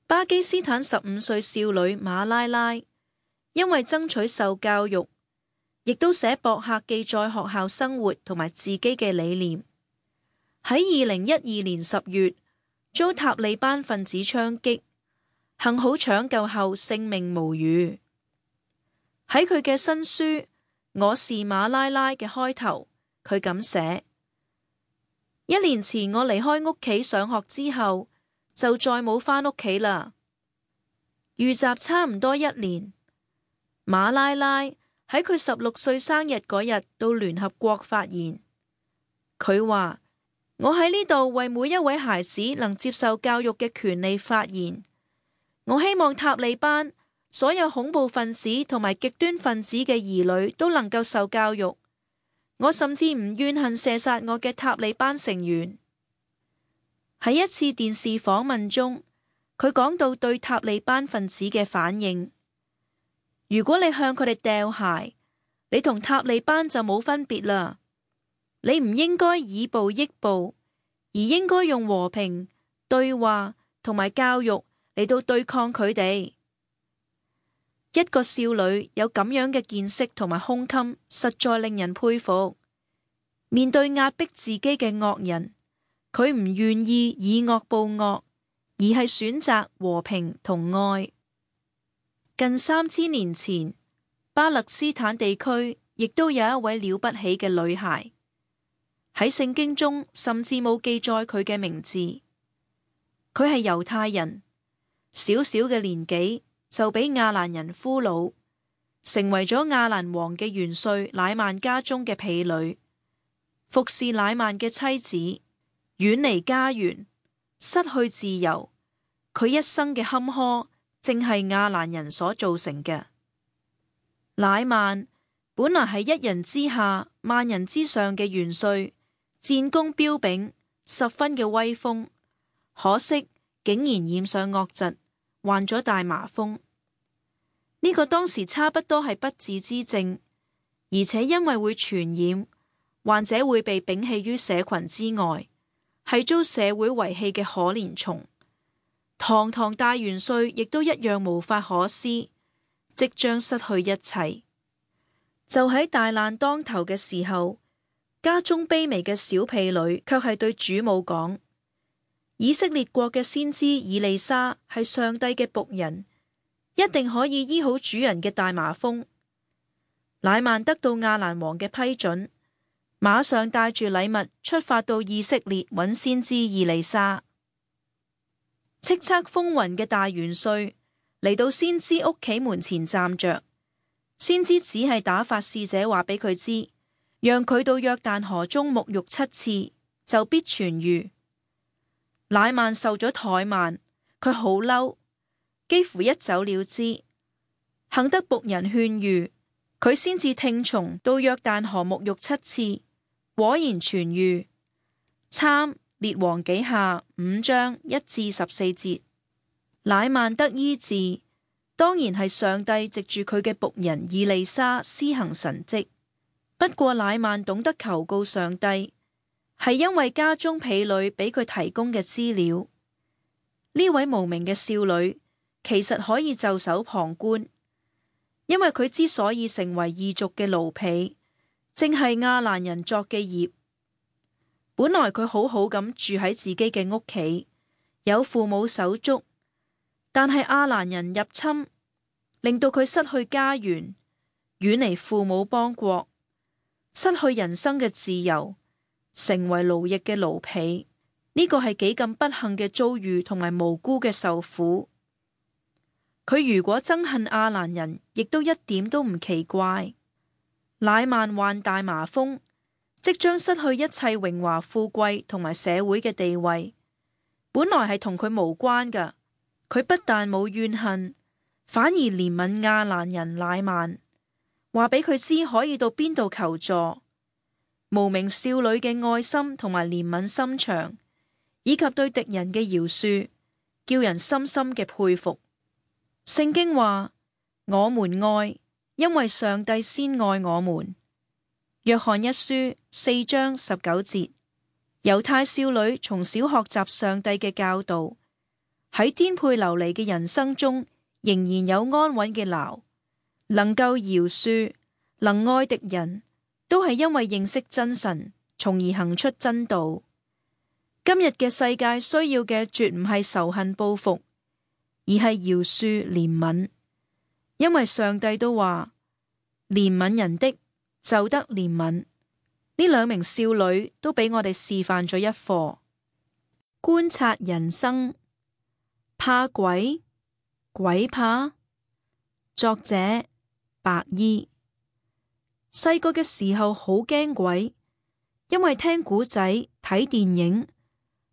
巴基斯坦十五歲少女馬拉拉，因為爭取受教育，亦都寫博客記載學校生活同埋自己嘅理念。喺二零一二年十月，遭塔利班分子槍擊，幸好搶救後性命無虞。喺佢嘅新書《我是馬拉拉》嘅開頭，佢咁寫：一年前我離開屋企上學之後，就再冇返屋企啦。遇襲差唔多一年，馬拉拉喺佢十六歲生日嗰日到聯合國發言，佢話：我喺呢度為每一位孩子能接受教育嘅權利發言。我希望塔利班所有恐怖分子同埋極端分子嘅兒女都能夠受教育。我甚至唔怨恨射殺我嘅塔利班成員。喺一次電視訪問中，佢講到對塔利班分子嘅反應：如果你向佢哋掉鞋，你同塔利班就冇分別啦。你唔應該以暴易暴，而應該用和平、對話同埋教育嚟到對抗佢哋。一個少女有咁樣嘅見識同埋胸襟，實在令人佩服。面對壓迫自己嘅惡人，佢唔願意以惡報惡，而係選擇和平同愛。近三千年前，巴勒斯坦地區亦都有一位了不起嘅女孩，喺聖經中甚至冇記載佢嘅名字。佢係猶太人，小小嘅年紀就俾亞蘭人俘虜，成為咗亞蘭王嘅元帥乃曼家中嘅婢女，服侍乃曼嘅妻子，遠離家園，失去自由。佢一生嘅坎坷，正係亞蘭人所造成嘅。乃曼本來係一人之下，萬人之上嘅元帥，戰功彪炳，十分嘅威風。可惜竟然染上惡疾，患咗大麻風。呢個當時差不多係不治之症，而且因為會傳染，患者會被摒棄於社群之外，係遭社會遺棄嘅可憐蟲。堂堂大元帥亦都一樣無法可施，即將失去一切。就喺大難當頭嘅時候，家中卑微嘅小婢女卻係對主母講：以色列國嘅先知以利沙係上帝嘅僕人，一定可以醫好主人嘅大麻風。乃曼得到亞蘭王嘅批准，馬上帶住禮物出發到以色列揾先知以利沙。叱咤風雲嘅大元帥嚟到先知屋企門前站着，先知只係打發使者話俾佢知，讓佢到約旦河中沐浴七次，就必痊癒。乃曼受咗怠慢，佢好嬲，幾乎一走了之。幸得僕人勸喻，佢先至聽從到約旦河沐浴七次，果然痊癒。參列王紀下五章一至十四節。乃曼得醫治，當然係上帝藉住佢嘅僕人以利沙施行神蹟。不過乃曼懂得求告上帝，係因為家中婢女俾佢提供嘅資料。呢位無名嘅少女其實可以袖手旁觀，因為佢之所以成為異族嘅奴婢，正係亞蘭人作嘅孽。本來佢好好咁住喺自己嘅屋企，有父母手足，但係亞蘭人入侵，令到佢失去家園，遠離父母邦國，失去人生嘅自由，成為奴役嘅奴婢。呢個係幾咁不幸嘅遭遇，同埋無辜嘅受苦。佢如果憎恨亞蘭人，亦都一點都唔奇怪。乃曼患大麻風，即將失去一切榮華富貴同埋社會嘅地位，本來係同佢無關㗎。佢不但冇怨恨，反而憐憫亞蘭人乃曼，話俾佢知可以到邊度求助。無名少女嘅愛心同埋憐憫心腸，以及對敵人嘅饒恕，叫人深深嘅佩服。聖經話：我們愛，因為上帝先愛我們。約翰一書四章十九節。猶太少女從小學習上帝嘅教導，喺顛沛流離嘅人生中，仍然有安穩嘅錨，能夠饒恕，能愛敵人，都係因為認識真神，從而行出真道。今日嘅世界需要嘅絕唔係仇恨報復，而係饒恕憐憫，因為上帝都話憐憫人的就得憐憫。呢兩名少女都俾我哋示範咗一課。觀察人生，怕鬼？鬼怕？作者白衣。細個嘅時候好驚鬼，因為聽古仔、睇電影，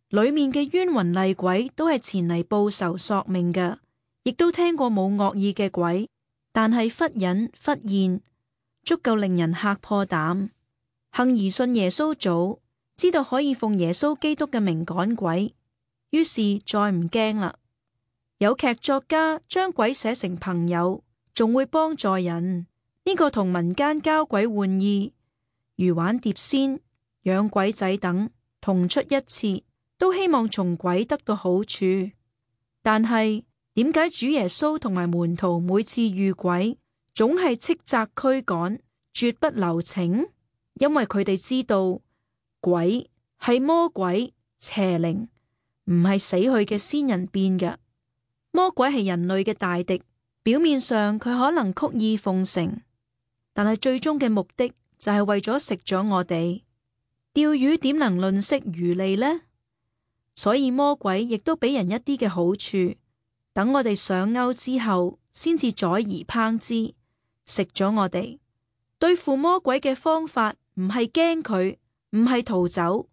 裏面嘅冤魂厲鬼都係前嚟報仇索命嘅，亦都聽過冇惡意嘅鬼，但係忽隱忽現，足夠令人嚇破膽。幸而信耶穌早，知道可以奉耶穌基督嘅名趕鬼，於是再唔驚啦。有劇作家將鬼寫成朋友，仲會幫助人，呢個同民間交鬼玩意，如玩碟仙、養鬼仔等同出一轍，都希望從鬼得到好處。但係點解主耶穌同埋門徒每次遇鬼，總係斥責驅趕，絕不留情？因為佢哋知道鬼係魔鬼邪靈，唔係死去嘅先人變嘅。魔鬼係人類嘅大敵，表面上佢可能曲意奉承，但係最終嘅目的就係為咗食咗我哋。釣魚點能吝嗇魚利呢？所以魔鬼亦都俾人一啲嘅好處，等我哋上鈎之後，先至宰而烹之，食咗我哋。對付魔鬼嘅方法唔係驚佢，唔係逃走，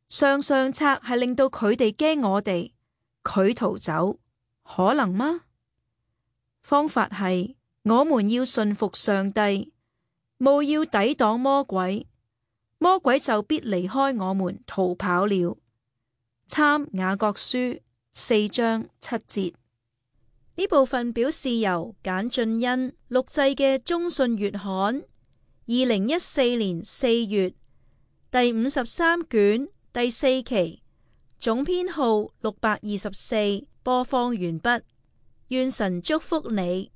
上上策係令到佢哋驚我哋，佢逃走，可能嗎？方法係我們要順服上帝，務要抵擋魔鬼，魔鬼就必離開我們逃跑了。參雅各書四章七節。呢部分表示由簡俊恩錄製嘅中信月刊二零一四年四月第五十三卷第四期總編號六百二十四，播放完畢。願神祝福你。